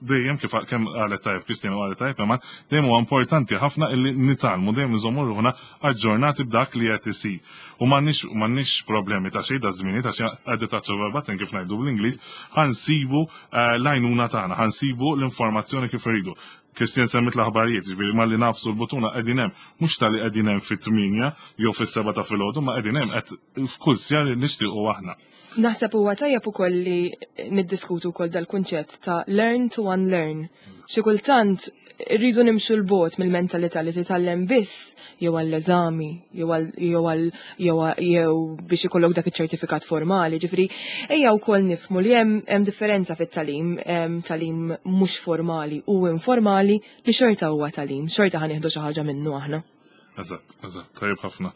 dejjem kif kemm qalet tajjeb Christian u qalet tajjeb Eman, dejjem huwa importanti ħafna illi nitgħallmu dejjem nżommu ruħna aġġornati b'dak li qed isir. U m'għandniex problemi ta' xejn da żmieni ta' xi at the touch of a button kif ngħidu bl-Ingliż, ħa nsibu l-għajnuna tagħna, ħa nsibu l-informazzjoni kif irridu. Christian semmit l-aħbarijiet, ġifieri malli nagħfsu l-buttuna qegħdin hemm, mhux talli qegħdin hemm fit-8 jew fis-7 ta' filgħodu, ma qegħdin hemm qed f'kull siegħa li nixtiequ aħna. Naħseb huwa tajjeb ukoll li niddiskutu wkoll dal-kunċett ta' learn to unlearn. Xi kultant irridu nimxu 'l bogħod mill-mentalità li titgħallem biss jew għall-eżami jew għal jew għal jew jew biex ikollok dak iċ-ċertifikat formali. Ġifieri ejja wkoll nifhmu li hemm hemm differenza fit-tagħlim, hemm tagħlim mhux formali u informali li xorta huwa tagħlim, xorta ħa nieħdu xi ħaġa minnu aħna. Eżatt, tajjeb ħafna.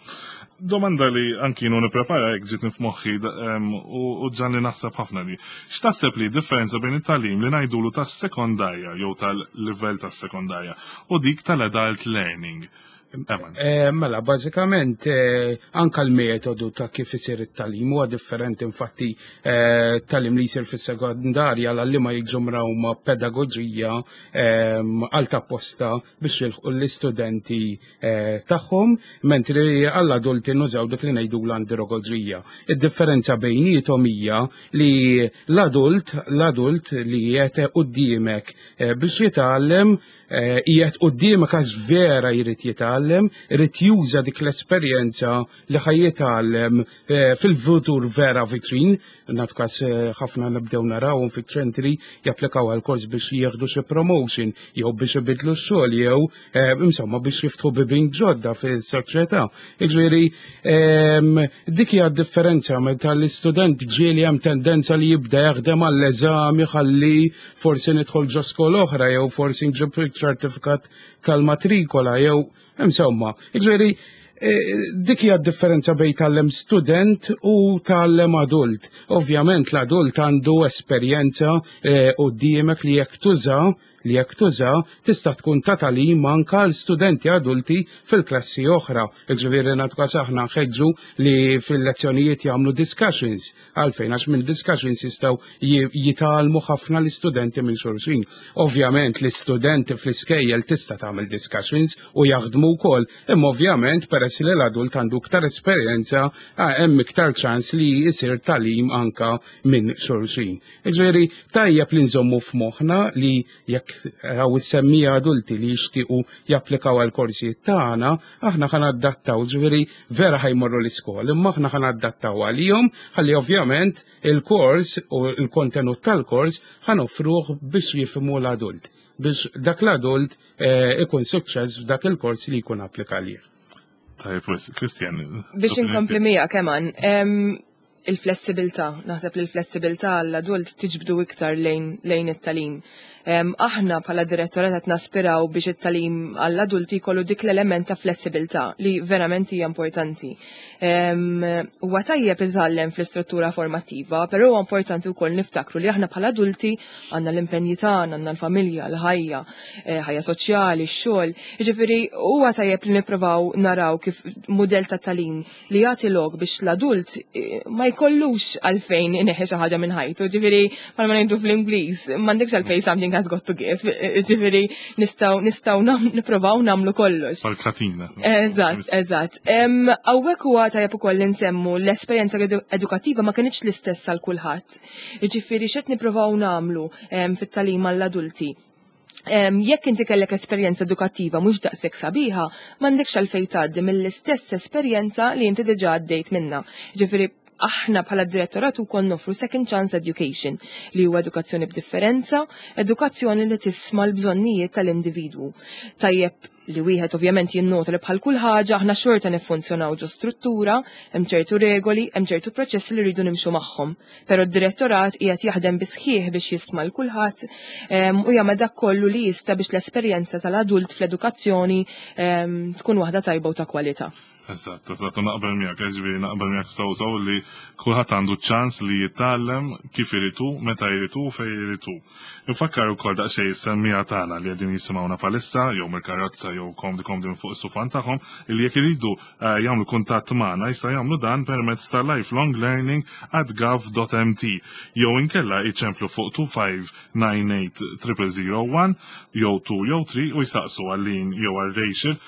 Domanda li anki jien nipprepara jekk ġietni f'moħħi u ġagħalni naħseb ħafna li. X'taħseb li differenza bejn it-tagħlim li ngħidulu tas-sekondarja jew tal-livell tas-sekondarja u dik tal-adult learning? Eman. Mela, bażikament anka l-metodu ta' kif isir it-tagħlim huwa differenti. Infatti tagħlim li jsir fis-sekondarja l-għalliema jiġu mrawma pedagoġija għal apposta biex jilħqu l-istudenti tagħhom, mentri għall-adulti nużaw dik li ngħidu l-andragoġija. Id-differenza bejniethom hija li l-adult li qiegħed quddiemek biex jitgħallem qiegħed quddiemek għax vera jrid jitgħallem, irid juża dik l-esperjenza li ħa jitgħallem fil-futur vera viċin. Naf każ ħafna nibdew narawhom fiċ-ċentri japplikaw għal kors biex jieħdu xi promotion jew biex ibidlu x-xogħol jew insomma biex jiftħu bibien ġodda fis-soċjetà. Jiġifieri dik hija d-differenza meta l-istudent ġieli hemm tendenza li jibda jaħdem għall-eżami ħalli forsi nidħol ġo skola oħra jew forsi nġib ċertifikat tal-matrikola jew insomma. Jiġifieri dik hija d-differenza bejn tgħallem student u tgħallem adult. Ovvjament l-adult għandu esperjenza quddiemek li jekk tuża tista' tkun ta' tagħlim anka għal studenti adulti fil-klassi oħra. Jiġifieri nagħtu każ aħna nħeġġu li fil-lezzjonijiet jagħmlu discussions. Għalfejn? Għax minn discussions jistgħu jitgħallmu ħafna l-istudenti minn xulxin. Ovvjament l-istudenti fl-iskejjel tista' tagħmel discussions u jaħdmu wkoll, imma ovvjament peress li l-adult għandu iktar esperjenza hemm iktar ċans li jsir tagħlim anka minn xulxin. Jiġifieri tajjeb li nżommu f'moħħna li jekk hawn is-semmiegħa adulti li jixtiequ japplikaw għal korsijiet tagħna, aħna ħa nadattaw, ġifieri vera ħa jmorru l-iskola, imma aħna ħa nadattaw għalihom ħalli ovvjament il-kors u l-kontenut tal-kors ħa noffruh biex jifhmu l-adult, biex dak l-adult ikun suċċess f'dak il-kors li jkun applika għalih. Tajjeb, Christian. Biex inkompli miegħek Eman, il-flessibilità, naħseb li l-flessibilità għall-adult tiġbdu iktar lejn it-tagħlim. Aħna bħala direttorat qed naspiraw biex it-tagħlim għall-adulti jkollu dik l-element ta' flessibilità li verament hija importanti. Huwa tajjeb li titgħallem fl-istruttura formattiva, però huwa importanti wkoll niftakru li aħna bħala adulti għandna l-impenji tagħna, għandna l-familja, l-ħajja, ħajja soċjali, x-xogħol. Jiġifieri huwa tajjeb li nippruvaw naraw kif mudell ta' tagħlim li jagħti lok biex l-adult ma jkollux għalfejn ineħħi xi ħaġa minn ħajtu. Ġifieri bħalma ngħidu fl-Ingliż, m'għandekx għalfejn something has got to give. Ġifieri nistgħu nippruvaw nagħmlu kollox. Pal-katina. Eżatt. Hawnhekk huwa tajjeb ukoll li nsemmu l-esperjenza edukattiva ma kinitx l-istess għal kulħadd. Ġifieri x'qed nippruvaw nagħmlu fit-tagħlim għall-adulti? Jekk inti kellek esperjenza edukattiva mhux daqshekk sabiħa, m'għandekx għalfejn tgħaddi mill-istess esperjenza li inti diġà għaddejt minnha. Ġifieri aħna bħala direttorat ukoll noffru second chance education li huwa edukazzjoni b'differenza, edukazzjoni li tisma' l-bżonnijiet tal-individwu. Tajjeb li wieħed ovvjament jinnota li bħal kull ħaġa aħna xorta niffunzjonaw ġo struttura, hemm ċertu regoli, hemm ċertu proċessi li rridu nimxu magħhom. Però d-direttorat qiegħed jaħdem bisħieħ biex jisma' l kulħadd u jagħmel dak kollu li jista' biex l-esperjenza tal-adult fl-edukazzjoni tkun waħda tajba u ta' kwalità. Eżatt, u naqbel miegħek, ġifieri naqbel miegħek sew sew li kulħadd għandu ċans li jitgħallem kif iridu, meta jridu, fejn iridu. Infakkar ukoll daqsxejn is-semmiegħa tagħna li qegħdin jisimgħuna bħalissa jew mill-karozza jew komdi komdi minn fuq is-sufan tagħhom li jekk iridu jagħmlu kuntatt magħna jistgħu jagħmlu dan permezz ta' lifelonglearning@gov.mt jew inkella jċemplu fuq 2598 001 jew 2 jew 3 u jsaqsu għal Lin jew għal Rachel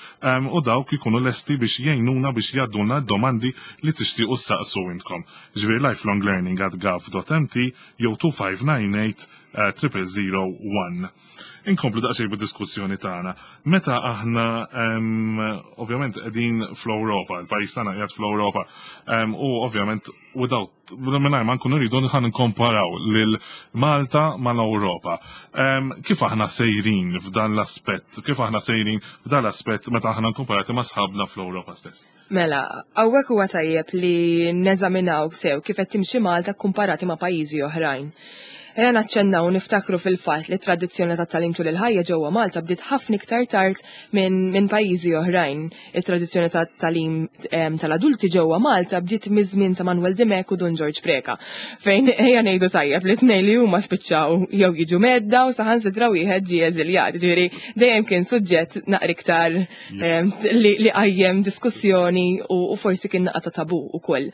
u dawk ikunu lesti biex jgħinuna biex jgħaddulna d-domandi li tixtiequ ssaqsu intkom. Ġifieri lifelonglearning@gov.mt jew 2598 001. Inkomplu daqsxejn bid-diskussjoni tagħna. Meta aħna ovvjament qegħdin fl-Ewropa, il-pajjiż tagħna qiegħed fl-Ewropa, u ovvjament without mingħajr ma nkunu rridu ħa nkomparaw lil Malta mal-Ewropa. Kif aħna sejrin f'dan l-aspett? Kif aħna sejrin f'dan l-aspett meta aħna nkomparati ma' sħabna fl-Ewropa stess? Mela, hawnhekk huwa tajjeb li neżaminaw sew kif qed timxi Malta komparati ma' pajjiżi oħrajn. Ejja naċċennaw niftakru fil-fatt li tradizzjoni ta' tagħlim tul il-ħajja ġewwa Malta bdiet ħafna iktar tard minn pajjiżi oħrajn. It-tradizzjoni ta' tagħlim tal-adulti ġewwa Malta bdiet miż-żmien ta' Manuel Dimech u Dun George Preca. Fejn ejja ngħidu tajjeb li tnejn li huma spiċċaw jew jiġu mhedda u saħansitra wieħed ġie eżiljat. Ġifieri dejjem kien suġġett naqra iktar li qajjem diskussjoni u forsi kien naqra ta' tabu ukoll.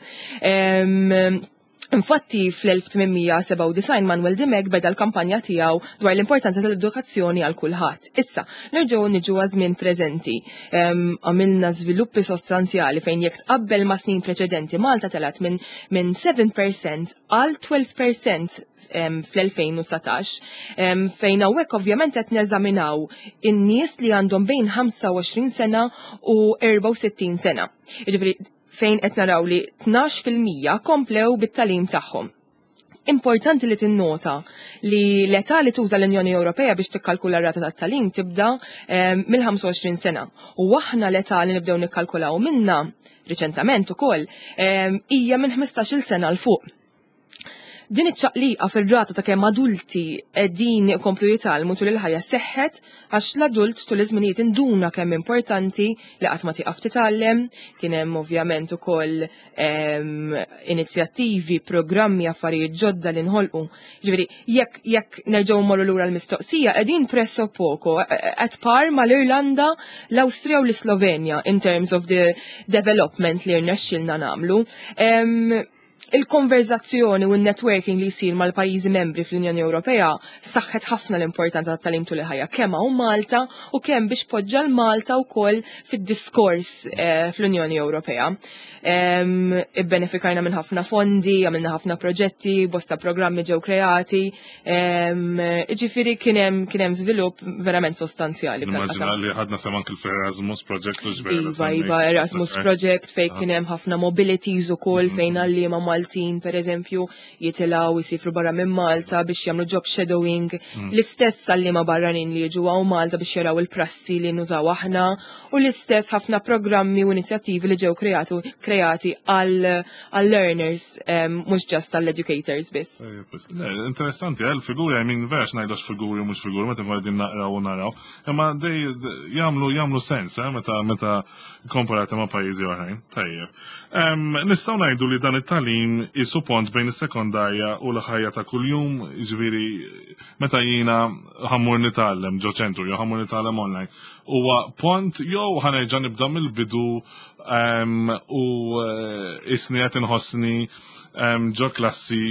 Infatti fl-1897 Manuel Dimech beda l-kampanja tiegħu dwar l-importanza tal-edukazzjoni għal kulħadd. Issa, nerġgħu niġu żmien preżenti. Għamilna żviluppi sostanzjali fejn jekk tqabbel ma' snin preċedenti Malta telat minn 7% għal 12% fl-2019, fejn hawnhekk ovvjament qed neżaminaw in-nies li għandhom bejn 25 sena u 64 sena. Jiġifieri fejn qed naraw li 12% komplew bit-tagħlim tagħhom. Importanti li tinnota li l-età li tuża l-Unjoni Ewropea biex tikkalkula r-rata tat-tagħlim tibda mill-25 sena. U aħna l-età li nibdew nikkalkulaw minna riċentament ukoll hija minn 15-il sena 'l fuq. Din iċ-ċaqliqa fir-rata ta' kemm adulti qegħdin ikomplu jitgħallmu tul il-ħajja seħħet għax l-adult tul iż-żminijiet induna kemm importanti li qatt ma tieqaf titgħallem, kien hemm ovvjament ukoll inizjattivi, programmi, affarijiet ġodda li nħolqu. Ġifieri, jekk nerġgħu mmorru lura l-mistoqsija, qegħdin presso poco at par mal-Irlanda, l-Awstrija u l-Slovenja in terms of the development li rnexxilna nagħmlu. Il-konverzazzjoni u n-networking li jsir mal-pajjiżi membri fl-Unjoni Ewropea saħħet ħafna l-importanza tat-tagħlim tul il-ħajja kemm hawn Malta u kemm biex poġġa l-Malta wkoll fid-diskors fl-Unjoni Ewropea. Ibbenefikajna minn ħafna fondi, għamilna ħafna proġetti, bosta programmi ġew kreati, ġifieri kien hemm żvilupp verament sostanzjali f'dan Immaġina qasam. li ħadna sehem anke fl-Erasmus Project u ġvera. Iva, Erasmus Project fej kien hemm ħafna mobilities ukoll fejn għalliema Maltin, per eżempju, jitilgħu jisifru barra minn Malta biex jagħmlu job shadowing. L-istess għalliema barranin li jiġu hawn Malta biex jaraw il-prassi li nużaw aħna u l-istess ħafna programmi u inizjattivi li ġew kreati għal learners, mhux just għall educators biss. Le, interessanti, il-figuri, I mean, vera x'ngħidux figuri u mhux figuri, meta nkunu qegħdin naqraw u naraw, imma dej jagħmlu sens, meta komparati ma' pajjiżi oħrajn. Tajjeb. Nistgħu ngħidu li dan it-tagħlim isu pont bejn is-sekondarja u l-ħajja ta' kuljum, jiġifieri meta jiena ħa mmur nitgħallem ġo ċentru jew ħa mmur nitgħallem online. Huwa pont jew ħa nerġa' nibda mill-bidu u isni qed inħossni ġo klassi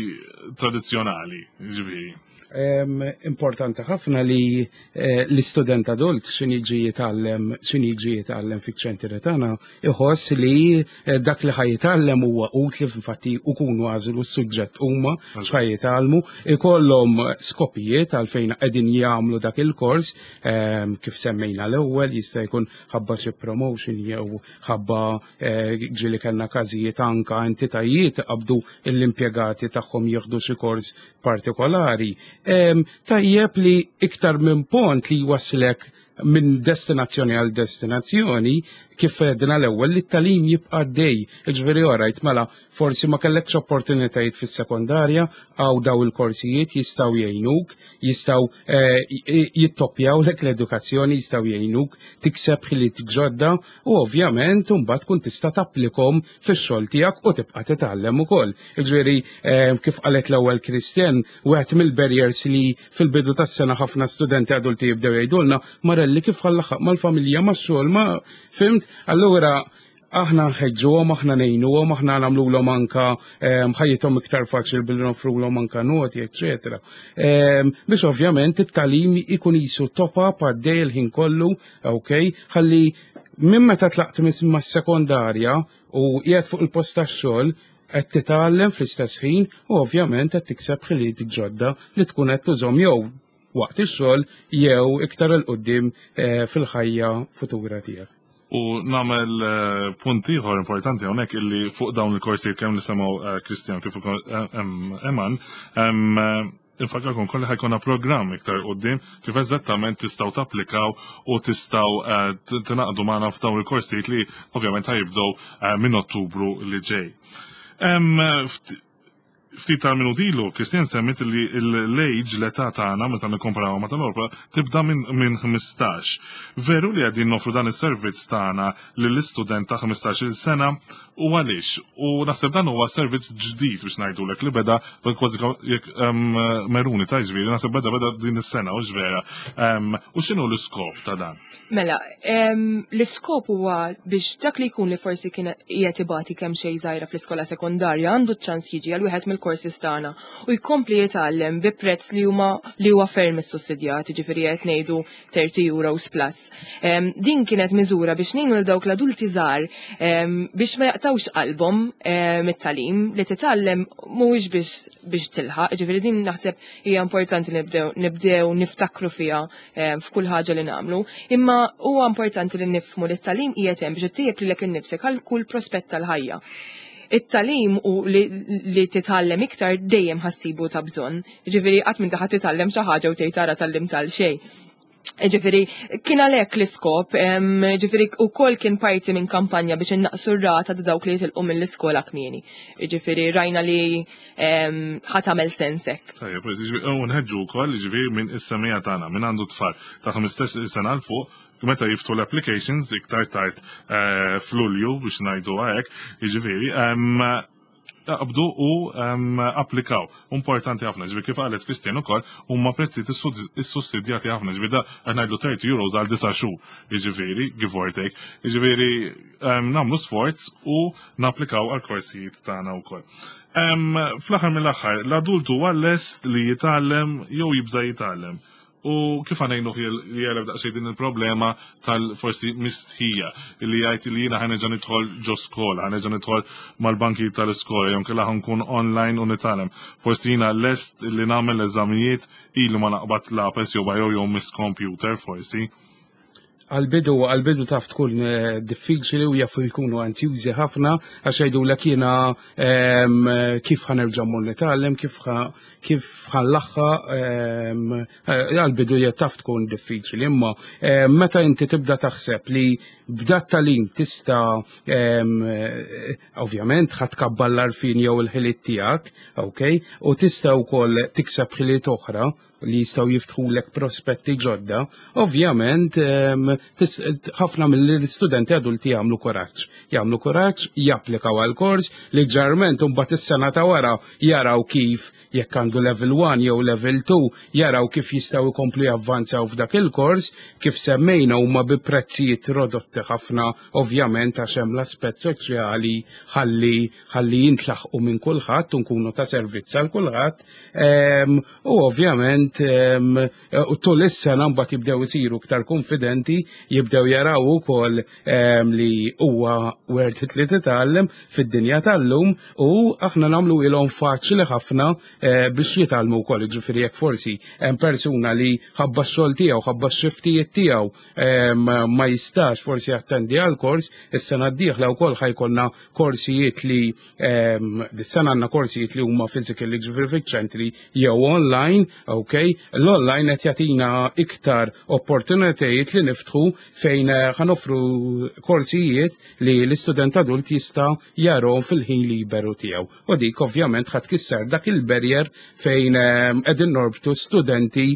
tradizzjonali, ġifieri. Importanti ħafna li l-istudent adult x'inhi jiġi jitgħallem fiċ-ċentri tagħna iħoss li dak li ħa jitgħallem huwa utli, infatti ukunu għażlu s-suġġett huma x'ħa jitgħallmu, ikollhom skopijiet għalfejn qegħdin jagħmlu dak il-kors, kif semmejna l-ewwel, jista' jkun ħabba xi promotion jew ħabba ġieli kellna każijiet anka entitajiet qabdu l-impjegati tagħhom jieħdu xi kors partikolari. Tajjeb li iktar minn pont li jwasslek minn destinazzjoni għal destinazzjoni, kif għedna l-ewwel li t-tagħlim jibqa' għaddej. Jiġifieri orajt mela forsi ma kellekx opportunitajiet fis-sekondarja għaw daw il-korsijiet jistgħu jgħinuk, jistgħu eh, jittoppjawlek l-edukazzjoni, jistgħu jgħinuk tikseb ħiliet ġodda u ovvjament imbagħad tkun tista' tapplikhom fix-xogħol tiegħek u tibqa' titgħallem ukoll. Jiġifieri eh, kif qalet l-ewwel Christian, wieħed mill-barriers li fil-bidu tas-sena ħafna studenti adulti jibdew jgħidulna Marelli kif ħa nlaħħaq mal-familja max-xogħol ma fhimt? Allura aħna nħeġġuhom, aħna ngħinuhom, aħna nagħmluhom anka ehm, ħajjithom iktar faċli billi nofrulhom anka noti, eċetera. Ehm, biex ovvjament it-tagħlim ikun jisu top up għaddej il-ħin kollu, ok, ħalli minn meta tlaqt mas-sekondarja u qiegħed fuq il-post tax-xogħol qed titgħallem fl-istess ħin u ovvjament qed tikseb ħiliet ġodda li tkun qed tużhom jew waqt ix-xogħol jew iktar 'il quddiem eh, fil-ħajja futura tiegħek. U nagħmel eh, punt ieħor importanti hawnhekk illi fuq dawn il-korsijiet kemm li semgħu eh, Kristjan kif ukoll Eman, infakarkom kolli ħa jkollna programm iktar qudiem kif eżattament tistgħu tapplikaw u tistgħu tingħaqdu magħna f'dawn il-korsijiet li ovvjament ħa jibdew minn Ottubru li ġej. Ftit tal-minuti ilu, Christian semmit li l-age, l-età tagħna meta nikkomparawha ma' tal-Ewropa, tibda minn 15. Veru li qegħdin nofru dan is-servizz tagħna lill-istudent ta' 15-il sena u għaliex? U naħseb dan huwa servizz ġdid biex ngħidulek li beda kważi jekk meruni ta' ġifieri, naħseb beda beda din is-sena u vera. U x'inhu l-iskop ta' dan? Mela, l-iskop huwa biex dak li jkun li forsi kien qiegħed ibati kemm xejn żgħira fl-iskola sekondarja għandu ċ-ċans jiġi għal wieħed mill-courses tagħna u jkompli jitgħallem bi prezz li huma li huwa ferm issussidjat, jiġifieri qed ngħidu 30 euros plus. Din kienet miżura biex ngħinu lil dawk l-adulti żgħar biex ma jaqtawx qalbhom mit-tagħlim li titgħallem mhuwiex biex biex tilħaq, jiġifieri din naħseb hija importanti li nibdew nibdew niftakru fiha f'kull ħaġa li nagħmlu. Imma huwa importanti li nifhmu li t-tagħlim qiegħed hemm biex ittejjeb lilek innifsek għal kull prospett tal-ħajja. It-tagħlim u li, li titgħallem iktar dejjem ħa ssibu ta' bżonn. Ġifieri qatt minn taħat titgħallem xi ħaġa u tgħid tara tgħallimt għal xejn. Ġifieri, kien għalhekk l-iskop, ġifieri ukoll kien parti minn kampanja biex innaqsu r-rata ta' dawk li jitilqu mill-iskola kmieni. Ġifieri, rajna li ħa tagħmel sens hekk. Tajjeb, u nħeġġu wkoll ġifieri minn is-semija tagħna minn għandu tfal ta' 15 sena 'l fuq meta jiftħu l-applications iktar tard eh, f'Lulju biex ngħidu hekk, jiġifieri aqbdu u applikaw. Importanti ħafna, ġifieri kif qalet Christian ukoll huma prezzijiet issussidjati ħafna, ġifieri da qed ngħidlu 30 euros għal disa' xhur, jiġifieri give or take. Jiġifieri nagħmlu sforz u napplikaw għal korsijiet tagħna wkoll. Fl-aħħar mill-aħħar, l-adult huwa lest li jitgħallem jew jibża' jitgħallem. U kif ħa ngħinuh jegħleb daqsxejn din il-problema tal-forsi mistħija li jgħid li jiena ħa nerġa' nidħol ġo skola, ħa nerġa' nidħol mal-banki tal-iskola, jew inkella ħa nkun online u nitgħallem. Forsi jiena lest li nagħmel eżamijiet ilu ma naqbad lapes jew biro jew miss computer forsi. Għal-bidu, għal-bidu taf tkun eh, diffiċli u jafu jkunu anzjużi ħafna għax jgħidulek jiena ehm, kif ħa nerġa' mmur nitgħallem, kif kif ħa nlaħħaq ehm, eh, għal-bidu taf tkun diffiċli, imma ehm, meta inti tibda taħseb li b'dat tagħlim tista' eh, ovvjament ħa tkabbar l-għarfien jew il-ħiliet tiegħek, ok, u tista' wkoll tikseb ħiliet oħra li jistgħu jiftħulek prospetti ġodda, ovvjament ħafna mill-istudenti adulti jagħmlu kuraġġ. Jagħmlu kuraġġ, japplikaw għal kors li ġarment imbagħad is-sena ta' wara jaraw kif jekk għandu level 1 jew level 2 jaraw kif jistgħu jkomplu javvanzaw f'dak il-kors, kif semmejna huma bi prezzijiet rodotti ħafna ovvjament għax hemm l-aspett soċjali ħalli ħalli jintlaħqu minn kulħadd u nkunu ta' servizz għal kulħadd. U ovvjament u tul is-sena mbagħad jibdew isiru iktar konfidenti, jibdew jaraw ukoll li huwa worth it li titgħallem fid-dinja tal-lum u aħna nagħmlu ilhom faċli ħafna eh, biex jitgħallmu wkoll, ġifieri jekk forsi hemm persuna li ħabba x-xogħol tiegħu, ħabba x-xiftijiet tiegħu ma jistax forsi jattendi għal kors, is-sena d-dieħla wkoll ħa jkollna korsijiet li dis-sena għandna korsijiet li huma physical ġifieri fiċ-ċentri jew online, ok, Anyway, l-online qed jagħtina iktar opportunitajiet li niftħu fejn ħa noffru korsijiet li l-istudent adult jista' jarahom fil-ħin liberu tiegħu. U dik ovvjament ħa tkisser dak il-barrier fejn qegħdin norbtu studenti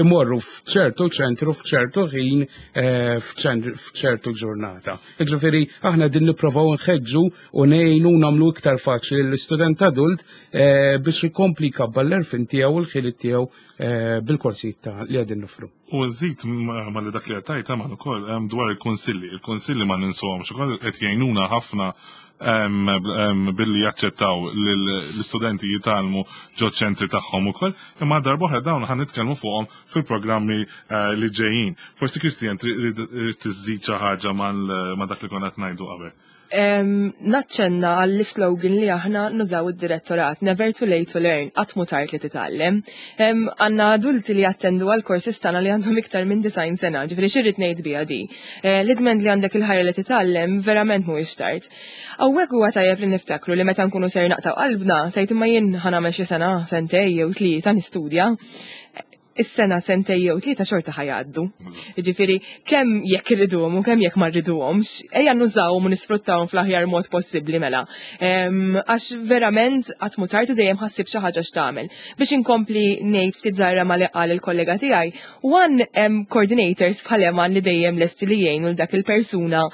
imorru f'ċertu ċentru f'ċertu ħin f'ċertu ġurnata. Ġifieri aħna din nipprovaw nħeġġu u ngħinu nagħmlu iktar faċli l-istudent adult biex ikompli jkabbar l-għerfien tiegħu u l-ħiliet tiegħu bil-korsijiet ta' li qegħdin noffru. U nżid ma li dak li għattajt għaman ukoll dwar il-kunsilli. Il-kunsilli ma ninsuhomx ukoll qed jgħinuna ħafna billi jaċċettaw l-istudenti jitgħallmu ġo ċentri tagħhom ukoll, imma darb'oħra dawn ħa nitkellmu fuqhom fil-programmi li ġejjin. Forsi Kristian trid tiżid xi ħaġa ma' dak li konna qed ngħidu qabel. Naċċenna għall-slogan li aħna nużaw id-direttorat, "Never too late to learn", qatt mhu tard li titgħallem. Għandna adulti li jattendu għal courses tagħna li għandhom iktar minn 90 sena, ġifieri x'irrid ngħid biha di? Li dment li għandek il-ħajra li titgħallem, verament mhuwiex tard. Hawnhekk huwa tajjeb li niftakru li meta nkunu ser naqtaw qalbna, tajt imma jien ħa nagħmel xi sena, sentej jew tlieta nistudja, is-sena, sentej jew tlieta xorta ħa jgħaddu. Ġifieri, kemm jekk irriduhom u kemm jekk ma rriduhomx, ejja nużawhom u nisfruttawhom fl-aħjar mod possibbli mela. Għax verament qatt mhu tard u dejjem ħa ssib xi ħaġa x'tagħmel. Biex inkompli ngħid ftit żgħira ma li qal il-kollega tiegħi, one hemm coordinators bħal Eman li dejjem lesti li jgħinu l dak il-persuna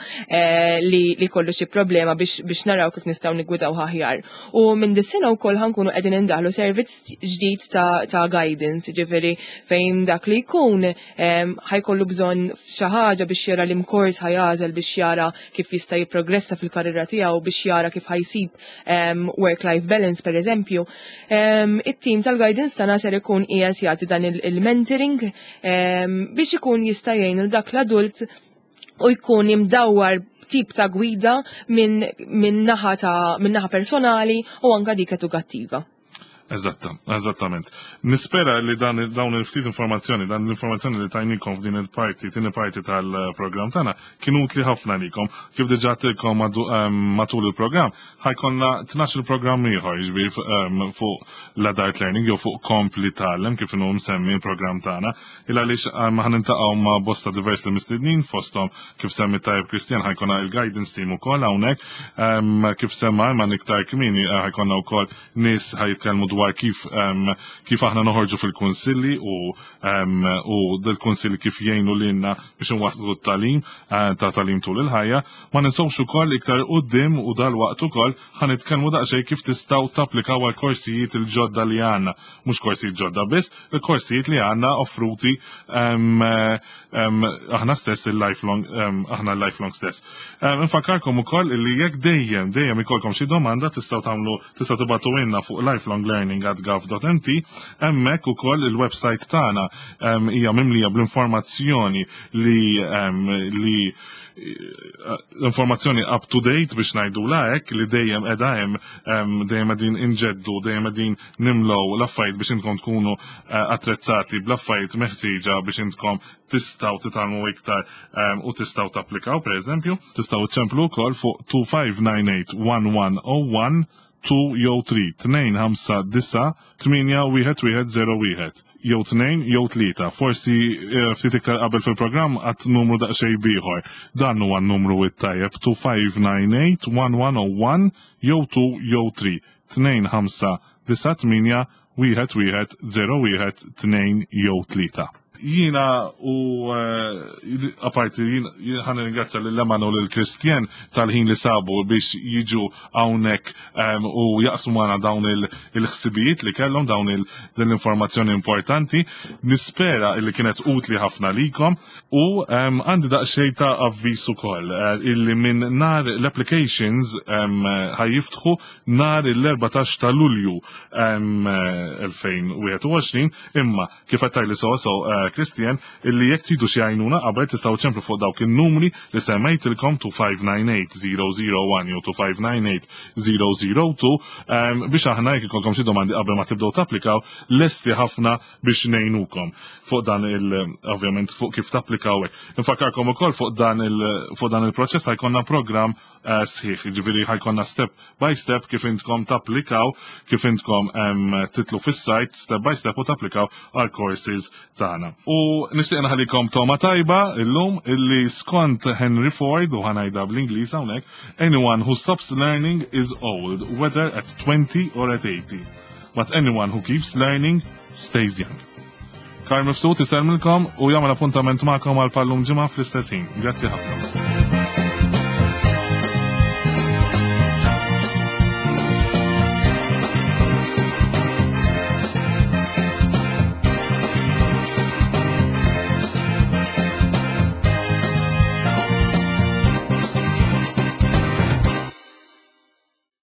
li kollu xi problema biex naraw kif nistgħu niggwidaw aħjar. U minn dis-sena wkoll ħa nkunu qegħdin indaħlu servizz ġdid ta' guidance, ġifieri fejn dak li jkun ħa jkollu bżonn xi ħaġa biex jara liema kors ħa jagħżel, biex jara kif jista' jipprogressa fil-karriera tiegħu, biex jara kif ħa jsib work-life balance, per eżempju. It-team tal-guidance tagħna ser ikun qiegħed jagħti dan il-mentoring biex ikun jista' jgħin dak l-adult u jkun imdawwar tip ta' gwida minn naħa personali u anka dik edukattiva. Eżatta, eżattament. Nispera li dawn il-ftit informazzjoni, dan l-informazzjoni li tajnikom f'din il-parti, tieni parti tal-programm tagħna, kienu utli ħafna likom. Kif diġà għedtilkom matul il-programm, ħa jkollna 12 il-programm ieħor, jiġifieri fuq l-adult learning jew fuq Kompli Tgħallem, kif inhu msemmi il-programm tagħna. Il għaliex ħa niltaqgħu ma' bosta diversi mistednin, fosthom, kif semmi tajjeb Kristjan, ħa jkollna il-guidance team ukoll hawnhekk. Kif semma ma iktar kmieni, ħa jkollna wkoll nies ħa jitkellmu dwar kif aħna noħorġu fil-kunsilli u dil-kunsilli kif jgħinu lilna biex nwasslu t-tagħlim ta' tagħlim tul il-ħajja. Ma ninsewx ukoll iktar quddiem u dal-waqt ukoll ħa nitkellmu daqsxejn kif tistgħu tapplikaw għal korsijiet il-ġodda li għandna. Mhux korsijiet ġodda biss, il-korsijiet li għandna offruti aħna stess il-lifelong, aħna l-lifelong stess. Infakkarkom ukoll li jekk dejjem ikolkom xi domanda, tistgħu tibagħtu lilna fuq lifelonglearning@gov.mt. Hemmhekk ukoll il-website tagħna hija mimlija bl-informazzjoni li l-informazzjoni up to date, biex ngħidu hekk, li dejjem qiegħda hemm, dejjem qegħdin inġeddu, dejjem qegħdin nimlow l-affarijiet biex intkom tkunu attrezzati bl-affarijiet meħtieġa biex intkom tistgħu titgħallmu iktar u tistgħu tapplikaw, per eżempju, tistgħu ċemplu wkoll fuq 2598 1101, 2 jew 3, 2 5 9 8 1 1 0 1, jew 2 jew 3. Forsi ftit iktar qabel fil-programm għedt numru daqsxejn ieħor. Dan huwa n-numru it-tajjeb: 2598 1101 jew 2 jew 3, 2 5 9 8 1 1 0 1, 2 jew 3. Jiena u apparti jien ħa nirringrazzja lil Eman u lil Kristjan tal-ħin li sabu biex jiġu hawnhekk u jaqsmu magħna dawn il-ħsibijiet li kellhom, dawn din l-informazzjoni importanti. Nispera illi kienet utli ħafna likom u għandi daqsxejn ta' avviż ukoll illi minn nar l-applications ħa jiftħu nhar l-14 ta' Lulju 2021, imma kif għedtli so so Christian illi jekk tridu xi għajnuna qabel tistgħu ċemplu fuq dawk in-numri li semmejtilkom 2598001 jew 2598002 biex aħna jekk ikolkom xi domandi qabel ma tibdew tapplikaw lesti ħafna biex ngħinukom fuq dan il ovvjament fuq kif tapplikaw hekk. Infakkarkom ukoll fuq dan il fuq dan il-proċess ħajkonna programm eh, sħiħ, jiġifieri ħajkonna step by step kif intkom tapplikaw, kif intkom titlu fis-sajt step by step u tapplikaw għal courses tagħna. U nixtieq naħalikom toma tajba illum illi skont Henry Ford u ħanajda bl-Ingliż hawnhekk, anyone who stops learning is old, whether at 20 or at 80. But anyone who keeps learning stays young. Karl Mifsud isellmilkom u jagħmel appuntament magħkom għal pallum ġimgħa fl-istess ħin. Grazzi ħafna.